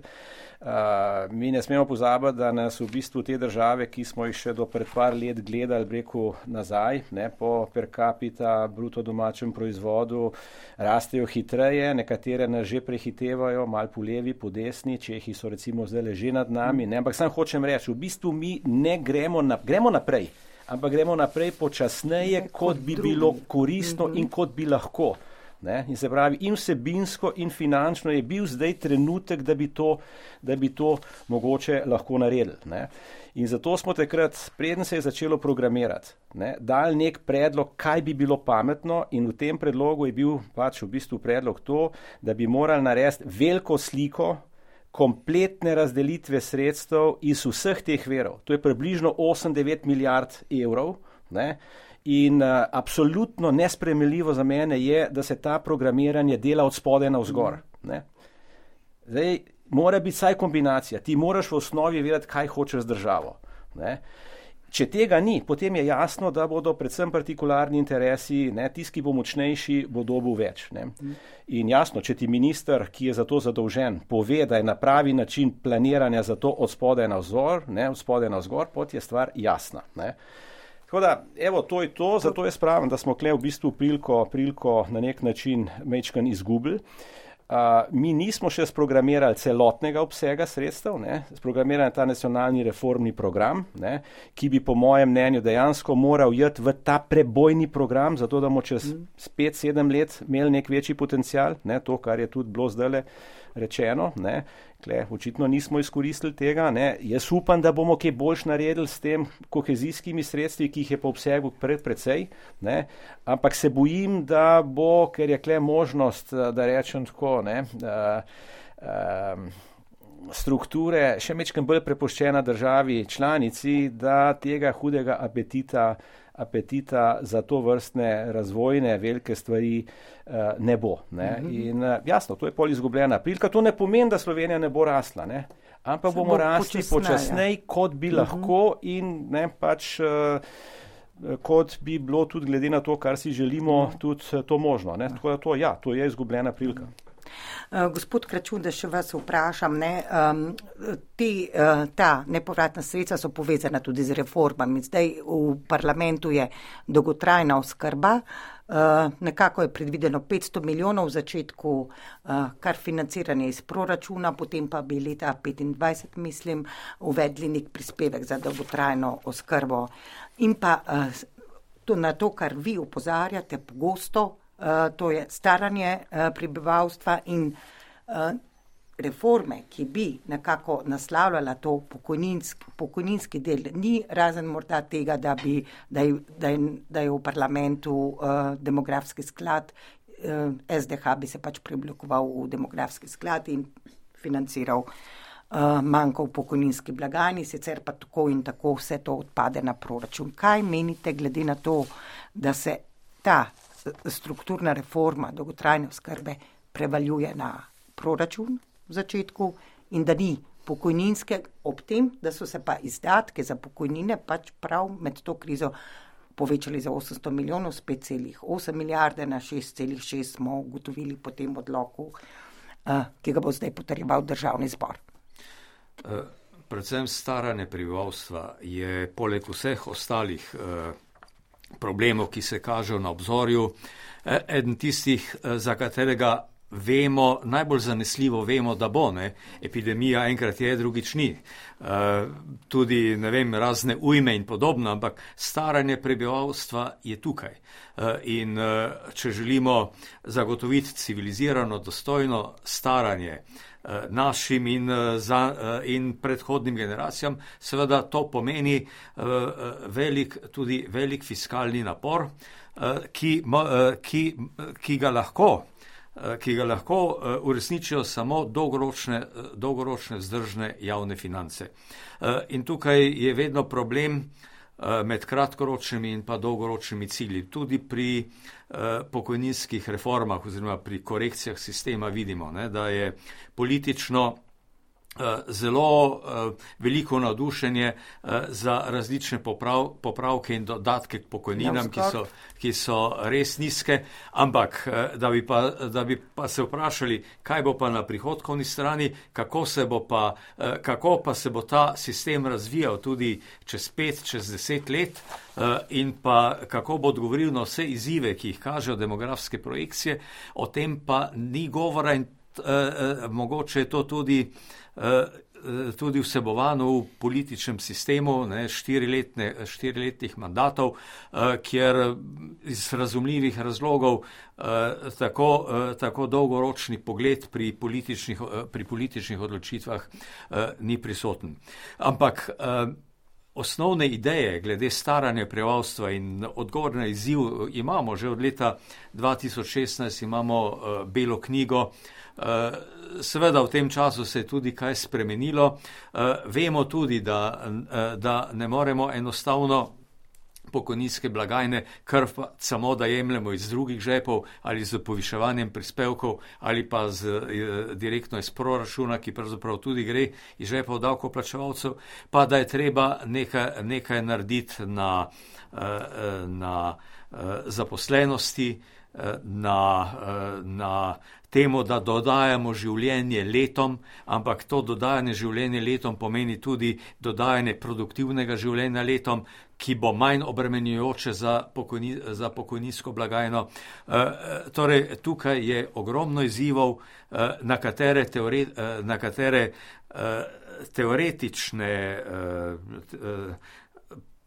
Uh, mi ne smemo pozabiti, da nas v bistvu te države, ki smo jih še do pred par let gledali, breku nazaj, ne, po per capita bruto domačem proizvodu, rastejo hitreje, nekatere nas že prehitevajo, malo po levi, po desni, Čehi so recimo zdaj že nad nami, ne, ampak sam hočem reči, v bistvu mi ne gremo, na, gremo naprej, ampak gremo naprej počasneje, kot, kot bi drugi. Bilo koristno mm-hmm. in kot bi lahko. Ne? In se pravi, in vsebinsko in finančno je bil zdaj trenutek, da bi to, da bi to mogoče lahko naredili. Ne? In zato smo takrat, preden se je začelo programirati, ne, dali nek predlog, kaj bi bilo pametno, in v tem predlogu je bil pač v bistvu predlog to, da bi morali narediti veliko sliko kompletne razdelitve sredstev iz vseh teh verov. To je približno osem do devet milijard evrov, ne? In uh, absolutno nesprejemljivo za mene je, da se ta programiranje dela od spodaj navzgor. Ne? Zdaj, mora biti vsaj kombinacija. Ti moraš v osnovi vedeti, kaj hočeš z državo. Ne? Če tega ni, potem je jasno, da bodo predvsem partikularni interesi, ne, tisti, ki bo močnejši, bo dobil več. Ne? In jasno, če ti minister, ki je za to zadolžen, pove, da je na pravi način planiranja za to od spodaj navzgor, ne, od spodaj navzgor, pot je stvar jasna. Ne? Tako da, evo, to je to, zato jaz pravim, da smo kle v bistvu priliko, priliko na nek način mečkan izgubili. Uh, mi nismo še sprogramirali celotnega obsega sredstev, ne, sprogramirali ta nacionalni reformni program, ne, ki bi po mojem mnenju dejansko moral jeti v ta prebojni program, zato da bomo čez pet sedem let imeli nek večji potencial, ne, to, kar je tudi bilo zdajle rečeno, ne. Kle, očitno nismo izkoristili tega, ne. Jaz upam, da bomo kaj boljš naredili s tem kohezijskimi sredstvi, ki jih je po obsegu pred precej, ne. Ampak se bojim, da bo, ker je kle možnost, da rečem tako, ne, uh, uh, strukture še mečkam bolj prepuščena državi članici, da tega hudega apetita apetita za to vrstne razvojne velike stvari uh, ne bo. Ne? Mm-hmm. In uh, jasno, to je pol izgubljena prilika. To ne pomeni, da Slovenija ne bo rasla, ne? Ampak bomo rasli počasneje, kot bi mm-hmm. lahko in ne, pač uh, kot bi bilo tudi glede na to, kar si želimo, tudi to možno. Ne? Tako da to, ja, to je izgubljena prilika. Uh, gospod Kračun, da še vas vprašam, ne, um, te, uh, ta nepovratna sredstva so povezana tudi z reformami. Zdaj v parlamentu je dolgotrajna oskrba, uh, nekako je predvideno petsto milijonov v začetku, uh, kar financiranje iz proračuna, potem pa bi leta petindvajset, mislim, uvedli nek prispevek za dolgotrajno oskrbo. In pa uh, to, na to, kar vi opozarjate pogosto, Uh, to je staranje uh, prebivalstva in uh, reforme, ki bi nekako naslavljala to pokojninski, pokojninski del. Ni razen morda tega, da, bi, da, je, da, je, da je v parlamentu uh, demografski sklad, uh, S D H bi se pač preoblikoval v demografski sklad in financiral uh, manjko v pokojninski blagajni, sicer pa tako in tako vse to odpade na proračun. Kaj menite glede na to, da se ta strukturna reforma dolgotrajne oskrbe prevaljuje na proračun v začetku in da ni pokojninske, ob tem, da so se pa izdatke za pokojnine pač prav med to krizo povečali za osemsto milijonov, s pet celih osem milijarde na šest celih šest smo ugotovili po tem odloku, ki ga bo zdaj potrjeval državni zbor. Predvsem staranje prebivalstva je poleg vseh ostalih problemov, ki se kažejo na obzorju, eden tistih, za katerega vemo, najbolj zanesljivo vemo, da bo, ne, epidemija enkrat je, drugič ni. Tudi, ne vem, razne ujme in podobno, ampak staranje prebivalstva je tukaj. In če želimo zagotoviti civilizirano, dostojno staranje našim in, za, in predhodnim generacijam, seveda to pomeni velik, tudi velik fiskalni napor, ki, ki, ki ga lahko ki ga lahko uresničijo samo dolgoročne, dolgoročne vzdržne javne finance. In tukaj je vedno problem med kratkoročnimi in pa dolgoročnimi cilji. Tudi pri pokojninskih reformah oziroma pri korekcijah sistema vidimo, ne, da je politično zelo veliko navdušenje za različne poprav, popravke in dodatke k pokojninam, ki so, ki so res nizke, ampak da bi, pa, da bi pa se vprašali, kaj bo pa na prihodkovni strani, kako se bo pa, kako pa se bo ta sistem razvijal tudi čez pet, čez deset let in pa kako bo odgovoril na vse izzive, ki jih kažejo demografske projekcije, o tem pa ni govora in mogoče je to tudi tudi vsebovano v političnem sistemu, ne, štiriletne, štiriletnih mandatov, kjer iz razumljivih razlogov tako, tako dolgoročni pogled pri političnih, pri političnih odločitvah ni prisoten. Ampak osnovne ideje glede staranja prebivalstva in odgovor na izziv imamo. Že od leta dva tisoč šestnajst imamo belo knjigo. Seveda v tem času se je tudi kaj spremenilo. Vemo tudi, da, da ne moremo enostavno pokojninske blagajne kar samo da jemljemo iz drugih žepov ali z poviševanjem prispevkov ali pa z, direktno iz proračuna, ki pravzaprav tudi gre iz žepov davkoplačevalcev, pa da je treba nekaj, nekaj narediti na, na zaposlenosti, na, na temu, da dodajamo življenje letom, ampak to dodajanje življenje letom pomeni tudi dodajanje produktivnega življenja letom, ki bo manj obremenjujoče za, pokojni, za pokojninsko blagajno. E, torej, tukaj je ogromno izzivov, e, na katere, teore, e, na katere e, teoretične, e,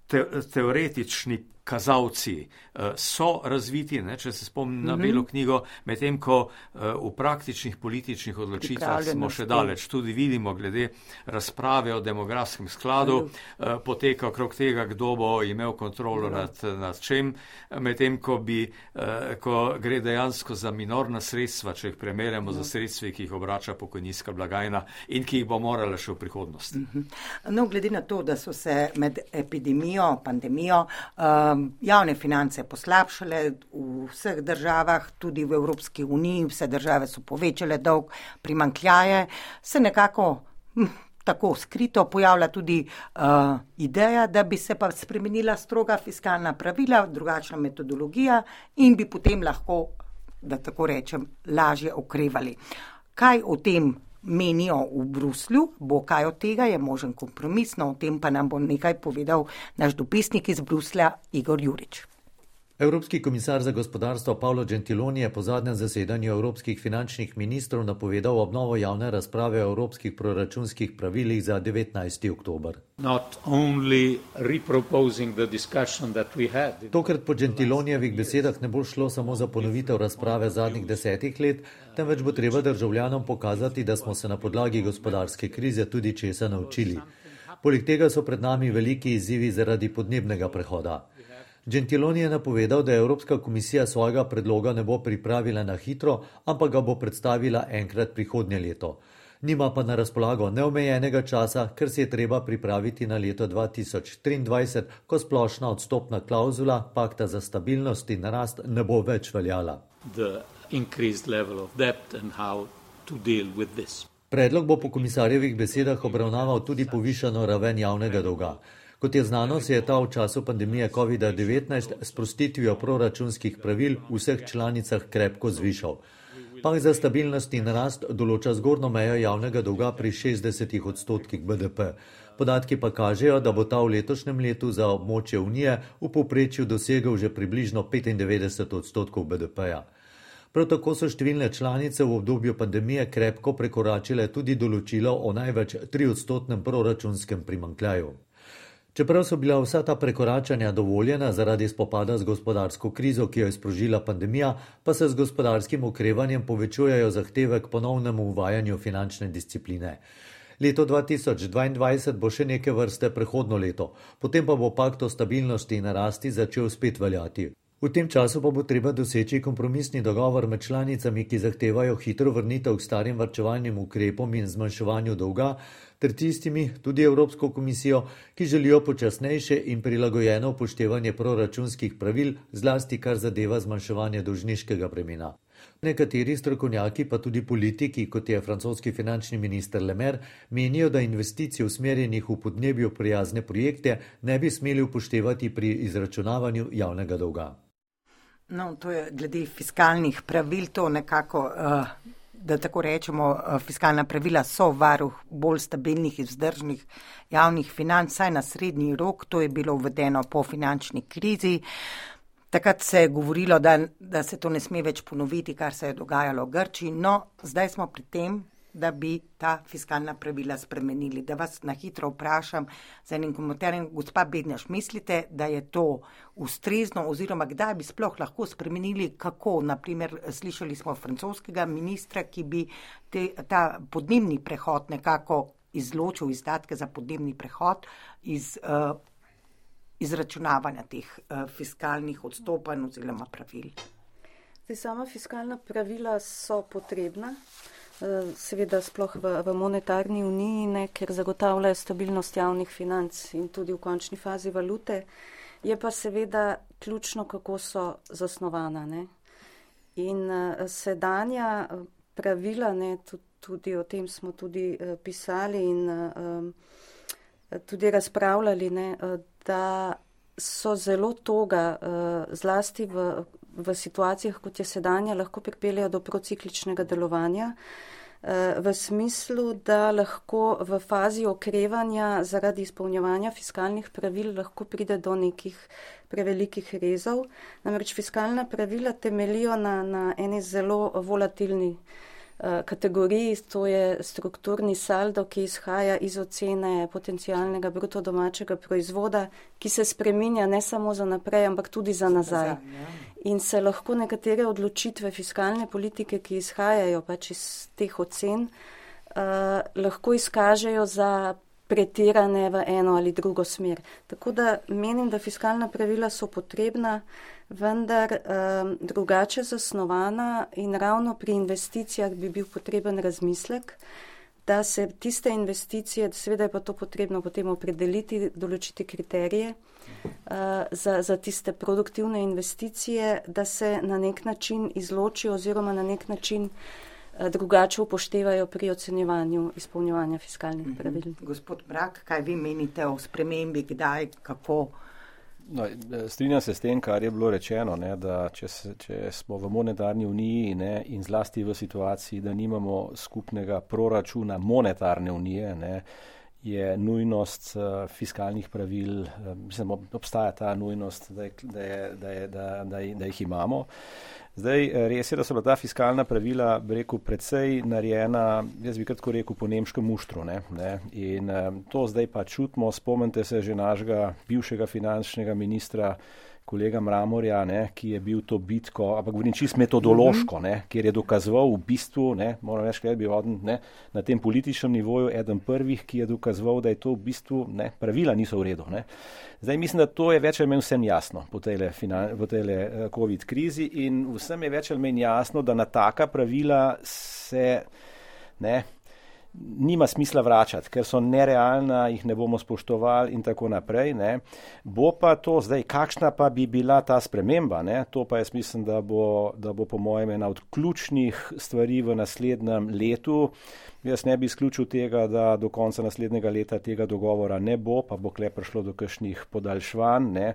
te, teoretični kazalci so razviti, ne, če se spomnim na Belo knjigo, medtem ko v praktičnih političnih odločitvah smo še daleč. Tudi vidimo glede razprave o demografskem skladu, poteka okrog tega, kdo bo imel kontrolo nad, nad čem, medtem ko, bi, ko gre dejansko za minorna sredstva, če jih primerjamo za sredstvi, ki jih obrača pokojninska blagajna in ki jih bo morala še v prihodnosti. No, glede na to, da so se med epidemijo, pandemijo, javne finance poslabšale v vseh državah, tudi v Evropski uniji, vse države so povečale dolg, primanjkljaje, se nekako hm, tako skrito pojavlja tudi uh, ideja, da bi se pa spremenila stroga fiskalna pravila, drugačna metodologija in bi potem lahko, da tako rečem, lažje okrevali. Kaj o tem menijo v Bruslju, bo kaj od tega, je možen kompromis, no o tem pa nam bo nekaj povedal naš dopisnik iz Bruslja, Igor Jurič. Evropski komisar za gospodarstvo Paolo Gentiloni je po zadnjem zasedanju evropskih finančnih ministrov napovedal obnovo javne razprave o evropskih proračunskih pravilih za devetnajsti oktober. Tokrat po Gentilonijevih besedah ne bo šlo samo za ponovitev razprave zadnjih desetih let, temveč bo treba državljanom pokazati, da smo se na podlagi gospodarske krize tudi česa naučili. Poleg tega so pred nami veliki izzivi zaradi podnebnega prehoda. Gentiloni je napovedal, da Evropska komisija svojega predloga ne bo pripravila na hitro, ampak ga bo predstavila enkrat prihodnje leto. Nima pa na razpolago neomejenega časa, ker se je treba pripraviti na leto dva tisoč triindvajset, ko splošna odstopna klauzula pakta za stabilnost in rast ne bo več veljala. Predlog bo po komisarjevih besedah obravnaval tudi povišano raven javnega dolga. Kot je znano, se je ta v času pandemije kovida devetnajst s sprostitvijo proračunskih pravil v vseh članicah krepko zvišal. Pakt za stabilnost in rast določa zgornjo mejo javnega dolga pri šestdesetih odstotkih B D P. Podatki pa kažejo, da bo ta v letošnjem letu za območje Unije v povprečju dosegel že približno petindevetdeset odstotkov B D P-ja. Prav tako so številne članice v obdobju pandemije krepko prekoračile tudi določilo o največ triodstotnem proračunskem primanjkljaju. Čeprav so bila vsa ta prekoračanja dovoljena zaradi spopada z gospodarsko krizo, ki jo je sprožila pandemija, pa se z gospodarskim okrevanjem povečujejo zahteve k ponovnemu uvajanju finančne discipline. Leto dva tisoč dvaindvajset bo še neke vrste prehodno leto, potem pa bo pakt o stabilnosti in rasti začel spet veljati. V tem času pa bo treba doseči kompromisni dogovor med članicami, ki zahtevajo hitro vrnitev k starim varčevalnim ukrepom in zmanjševanju dolga, ter tistimi, tudi Evropsko komisijo, ki želijo počasnejše in prilagojeno upoštevanje proračunskih pravil, zlasti kar zadeva zmanjševanje dolžniškega bremena. Nekateri strokovnjaki, pa tudi politiki, kot je francoski finančni minister Le Maire, menijo, da investicij usmerjenih v podnebju prijazne projekte ne bi smeli upoštevati pri izračunavanju javnega dolga. No, to je glede fiskalnih pravil, to nekako, da tako rečemo, fiskalna pravila so varuh bolj stabilnih in vzdržnih javnih financ, saj na srednji rok, to je bilo uvedeno po finančni krizi. Takrat se je govorilo, da, da se to ne sme več ponoviti, kar se je dogajalo v Grčiji, no, zdaj smo pri tem, da bi ta fiskalna pravila spremenili. Da vas na hitro vprašam za enim komentarjem, gospa Bednjaš, mislite, da je to ustrezno oziroma kdaj bi sploh lahko spremenili, kako, naprimer, slišali smo francoskega ministra, ki bi te, ta podnebni prehod nekako izločil izdatke za podnebni prehod iz uh, izračunavanja teh uh, fiskalnih odstopanj oziroma pravil. Zdaj, sama fiskalna pravila so potrebna, seveda sploh v, v monetarni uniji, ne, ker zagotavljajo stabilnost javnih financ in tudi v končni fazi valute, je pa seveda ključno, kako so zasnovana. Ne. In uh, sedanja pravila, ne, tudi, tudi o tem smo tudi uh, pisali in uh, tudi razpravljali, ne, uh, da so zelo toga, uh, zlasti v, v situacijah, kot je sedanja, lahko pripeljajo do procikličnega delovanja, v smislu, da lahko v fazi okrevanja zaradi izpolnjevanja fiskalnih pravil lahko pride do nekih prevelikih rezov. Namreč fiskalna pravila temelijo na, na eni zelo volatilni uh, kategoriji, to je strukturni saldo, ki izhaja iz ocene potencialnega bruto domačega proizvoda, ki se spreminja ne samo za naprej, ampak tudi za nazaj. In se lahko nekatere odločitve fiskalne politike, ki izhajajo pač iz teh ocen, uh, lahko izkažejo za pretirane v eno ali drugo smer. Tako da menim, da fiskalna pravila so potrebna, vendar um, drugače zasnovana in ravno pri investicijah bi bil potreben razmislek, da se tiste investicije, seveda je pa to potrebno potem opredeliti, določiti kriterije uh, za, za tiste produktivne investicije, da se na nek način izločijo oziroma na nek način uh, drugače upoštevajo pri ocenjevanju izpolnjevanja fiskalnih pravil. Mm-hmm. Gospod Mrak, kaj vi menite o spremembi, kdaj, kako? No, strinjam se s tem, kar je bilo rečeno, ne, da če, se, če smo v monetarni uniji, ne, in zlasti v situaciji, da nimamo skupnega proračuna monetarne unije, ne, je nujnost uh, fiskalnih pravil, uh, mislim, obstaja ta nujnost, da, je, da, je, da, je, da, da, da jih imamo. Zdaj, res je, da so bila ta fiskalna pravila, bi rekel, precej narejena, jaz bi kratko rekel, po nemškem muštru. Ne, ne, in um, to zdaj pa čutimo, spomnite se že našega bivšega finančnega ministra, kolega Mramorja, ne, ki je bil to bitko, ampak govorim čisto metodološko, ne, kjer je dokazoval v bistvu, ne, moram reči, da je bil odn, ne, na tem političnem nivoju eden prvih, ki je dokazoval, da je to v bistvu, ne, pravila niso v redu. Ne. Zdaj mislim, da to je več ali manj vsem jasno po tejle, po tejle COVID krizi in vsem je več ali manj jasno, da na taka pravila se ne, nima smisla vračati, ker so nerealna, jih ne bomo spoštovali in tako naprej. Ne. Bo pa to zdaj, kakšna pa bi bila ta sprememba, ne. To pa jaz mislim, da bo, da bo po mojem ena od ključnih stvari v naslednjem letu. Jaz ne bi izključil tega, da do konca naslednjega leta tega dogovora ne bo, pa bo kle prišlo do kakšnih podaljšvanj. Ne.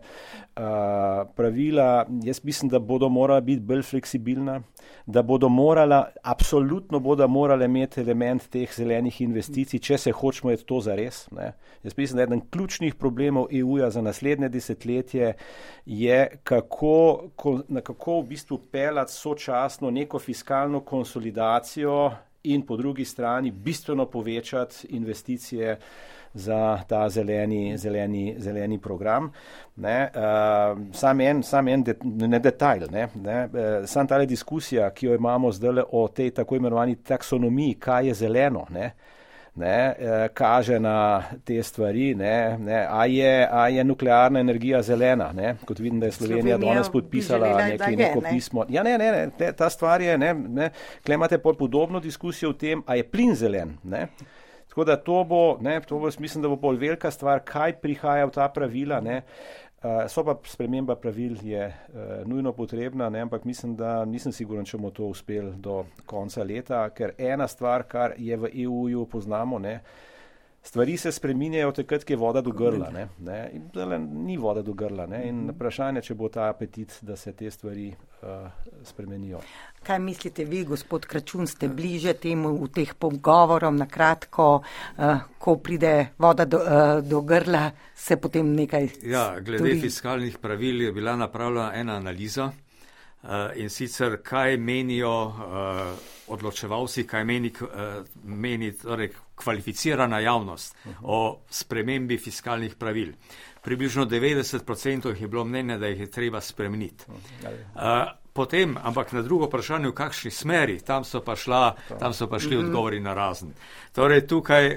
Uh, pravila, jaz mislim, da bodo morala biti bolj fleksibilna, da bodo morala, absolutno bodo morala imeti element teh zelenih investicij, če se hočemo je to zares. Ne. Jaz mislim, da eden ključnih problemov E U-ja za naslednje desetletje je, kako, kako v bistvu pelati sočasno neko fiskalno konsolidacijo in po drugi strani bistveno povečati investicije za ta zeleni, zeleni, zeleni program. Ne, uh, sam en, sam en det, ne detajl, ne, ne, uh, sam tale diskusija, ki jo imamo zdaj o tej tako imenovani taksonomiji, kaj je zeleno, ne, ne, kaže na te stvari, ne, ne, a, je, a je nuklearna energija zelena, ne, kot vidim, da je Slovenija danes podpisala nekaj, neko ne. pismo. Ja, ne, ne, ne, ta stvar je, ne, ne, tukaj imate podobno diskusijo o tem, a je plin zelen, ne. Tako da to bo, ne, to bo, mislim, da bo bolj velika stvar, kaj prihaja v ta pravila, ne. Uh, so pa sprememba pravil je uh, nujno potrebna, ne, ampak mislim, da nisem siguren, če bomo to uspeli do konca leta, ker ena stvar, kar je v E U-ju poznamo, ne, stvari se spreminjajo takrat, ki je voda do grla, ne, ne, in zdaj ni voda do grla, ne, in vprašanje, če bo ta apetit, da se te stvari uh, spremenijo. Kaj mislite vi, gospod Kračun, ste bliže temu v teh pogovorom, na kratko, uh, ko pride voda do, uh, do grla, se potem nekaj... Ja, glede tudi... fiskalnih pravil je bila napravljena ena analiza uh, in sicer kaj menijo uh, odločevalci, kaj meni, uh, meni torej, kvalificirana javnost uh-huh. o spremembi fiskalnih pravil. Približno devetdeset procentov je bilo mnenja, da jih je treba spremeniti. Uh, Potem, ampak na drugo vprašanje, v kakšni smeri, tam so pa, šla, tam so pa šli mm-hmm. odgovori na razen. Torej, tukaj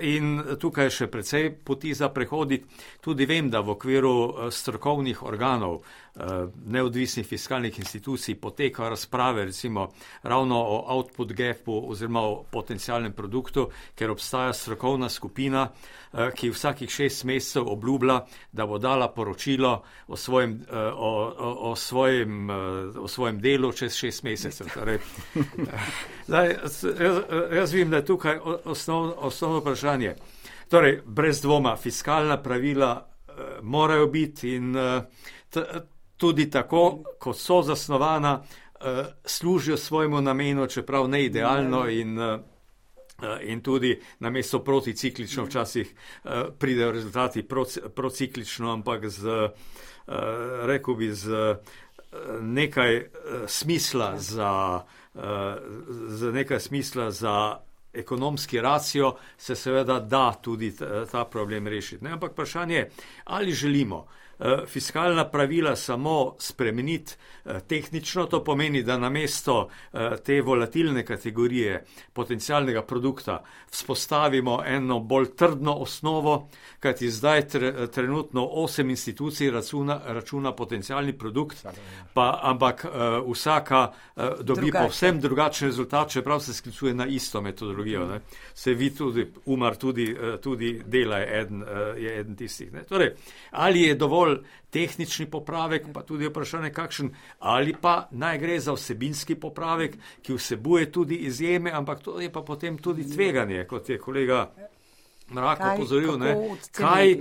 in tukaj še precej poti za prehoditi. Tudi vem, da v okviru strokovnih organov, neodvisnih fiskalnih institucij potekajo razprave, recimo ravno o output gapu oziroma o potencialnem produktu, ker obstaja strokovna skupina, ki vsakih šest mesecev obljublja, da bo dala poročilo o svojem, o, o, o svojem, o svojem delu čez šest mesecev. Torej, zdaj, jaz, jaz vidim, da je tukaj osnov, osnovno vprašanje. Torej, brez dvoma, fiskalna pravila uh, morajo biti in uh, t, tudi tako, kot so zasnovana, uh, služijo svojemu namenu, čeprav ne idealno in uh, in tudi namesto proticiklično včasih uh, pridejo rezultati prociklično, ampak z, uh, rekel bi, z uh, nekaj uh, smisla za, uh, z nekaj smisla za ekonomski racio se seveda da tudi ta, ta problem rešiti. Ne? Ampak vprašanje je, ali želimo uh, fiskalna pravila samo spremeniti uh, tehnično, to pomeni, da namesto uh, te volatilne kategorije potencialnega produkta vzpostavimo eno bolj trdno osnovo, kajti zdaj tre, trenutno osem institucij računa, računa potencialni produkt, pa, ampak uh, vsaka uh, dobi Drugače. povsem drugačen rezultat, čeprav se sklicuje na isto metodologijo. Ne? Se vi tudi, Umar tudi, uh, tudi dela je eden, uh, je eden tistih. Ne? Torej, ali je dovolj tehnični popravek, pa tudi vprašanje kakšen, ali pa naj gre za vsebinski popravek, ki vsebuje tudi izjeme, ampak to je pa potem tudi tveganje, kot je kolega Mrak opozoril. Kaj,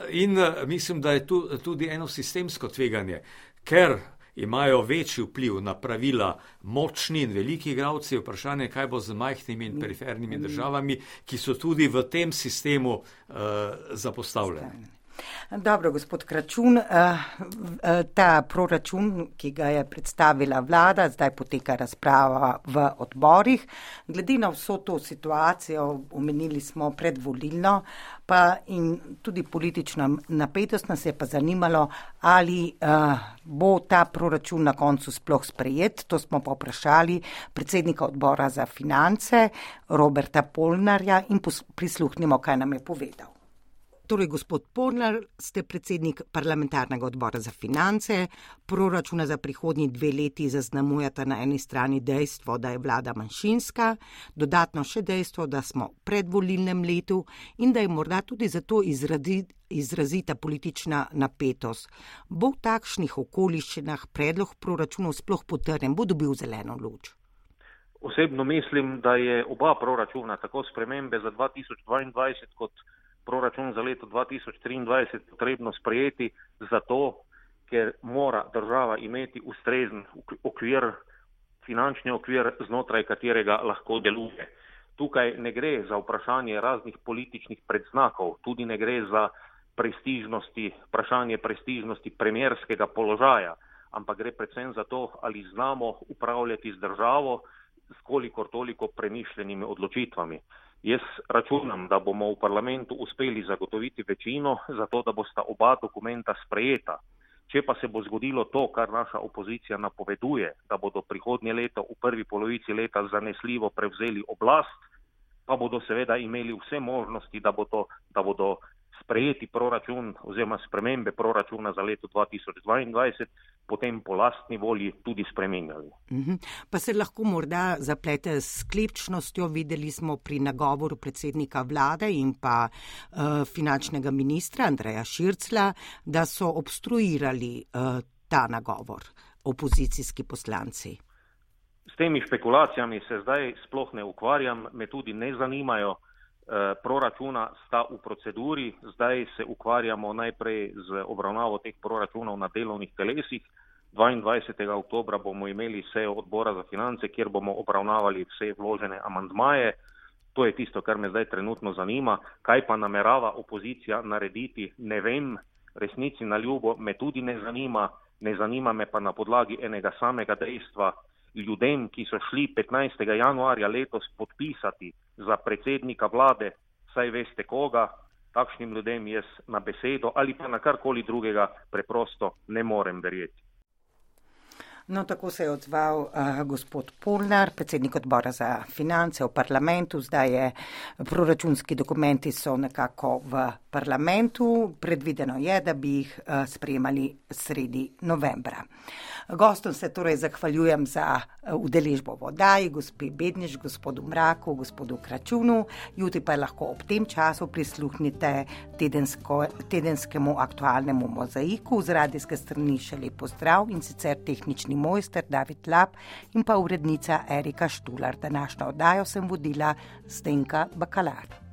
in mislim, da je tu, tudi eno sistemsko tveganje, ker imajo večji vpliv na pravila močni in veliki igralci, vprašanje, kaj bo z majhnimi in perifernimi državami, ki so tudi v tem sistemu uh, zapostavljeni. Dobro, gospod Kračun, ta proračun, ki ga je predstavila vlada, zdaj poteka razprava v odborih. Glede na vso to situacijo, omenili smo predvolilno, pa in tudi politična napetost, nas je pa zanimalo, ali bo ta proračun na koncu sploh sprejet. To smo pa vprašali predsednika odbora za finance, Roberta Polnarja, in prisluhnimo, kaj nam je povedal. Torej, gospod Polnar, ste predsednik parlamentarnega odbora za finance. Proračuna za prihodnji dve leti zaznamujata na eni strani dejstvo, da je vlada manjšinska, dodatno še dejstvo, da smo v predvolilnem letu in da je morda tudi zato izrazi, izrazita politična napetost. Bo v takšnih okoliščinah predlog proračunov sploh potrjen, bo dobil zeleno luč? Osebno mislim, da je oba proračuna, tako spremembe za dva tisoč dvaindvajset kot proračun za leto dva tisoč triindvajset potrebno sprejeti zato, ker mora država imeti ustrezen okvir, finančni okvir, znotraj katerega lahko deluje. Tukaj ne gre za vprašanje raznih političnih predznakov, tudi ne gre za prestižnosti, vprašanje prestižnosti premierskega položaja, ampak gre predvsem za to, ali znamo upravljati z državo s kolikor toliko premišljenimi odločitvami. Jaz računam, da bomo v parlamentu uspeli zagotoviti večino, zato da bosta oba dokumenta sprejeta. Če pa se bo zgodilo to, kar naša opozicija napoveduje, da bodo prihodnje leto v prvi polovici leta zanesljivo prevzeli oblast, pa bodo seveda imeli vse možnosti, da, bo to, da bodo sprejeti proračun oziroma spremembe proračuna za leto dva tisoč dvaindvajset potem po lastni volji tudi spremenjali. Mhm. Pa se lahko morda zaplete s sklepčnostjo. Videli smo pri nagovoru predsednika vlade in pa uh, finančnega ministra Andreja Širclja, da so obstruirali uh, ta nagovor opozicijski poslanci. S temi špekulacijami se zdaj sploh ne ukvarjam, me tudi ne zanimajo. E, proračuna sta v proceduri, zdaj se ukvarjamo najprej z obravnavo teh proračunov na delovnih telesih. dvaindvajsetega oktobra bomo imeli sejo odbora za finance, kjer bomo obravnavali vse vložene amandmaje. To je tisto, kar me zdaj trenutno zanima. Kaj pa namerava opozicija narediti, ne vem, resnici na ljubo me tudi ne zanima. Ne zanima me pa na podlagi enega samega dejstva. Ljudem, ki so šli petnajstega januarja letos podpisati za predsednika vlade, saj veste koga, takšnim ljudem jaz na besedo ali pa na karkoli drugega preprosto ne morem verjeti. No, tako se je odzval uh, gospod Polnar, predsednik odbora za finance v parlamentu. Zdaj je proračunski dokumenti so nekako v parlamentu. Predvideno je, da bi jih uh, sprejemali sredi novembra. Gostom se torej zahvaljujem za udeležbo v oddaji, gospe Bedniš, gospodu Mraku, gospodu Kračunu. Jutri pa lahko ob tem času prisluhnite tedensko, tedenskemu aktualnemu mozaiku. Z radijske strani še lep pozdrav in sicer tehnični mojster David Lap in pa urednica Erika Štular. Današnjo oddajo sem vodila Zdenka Bakalar.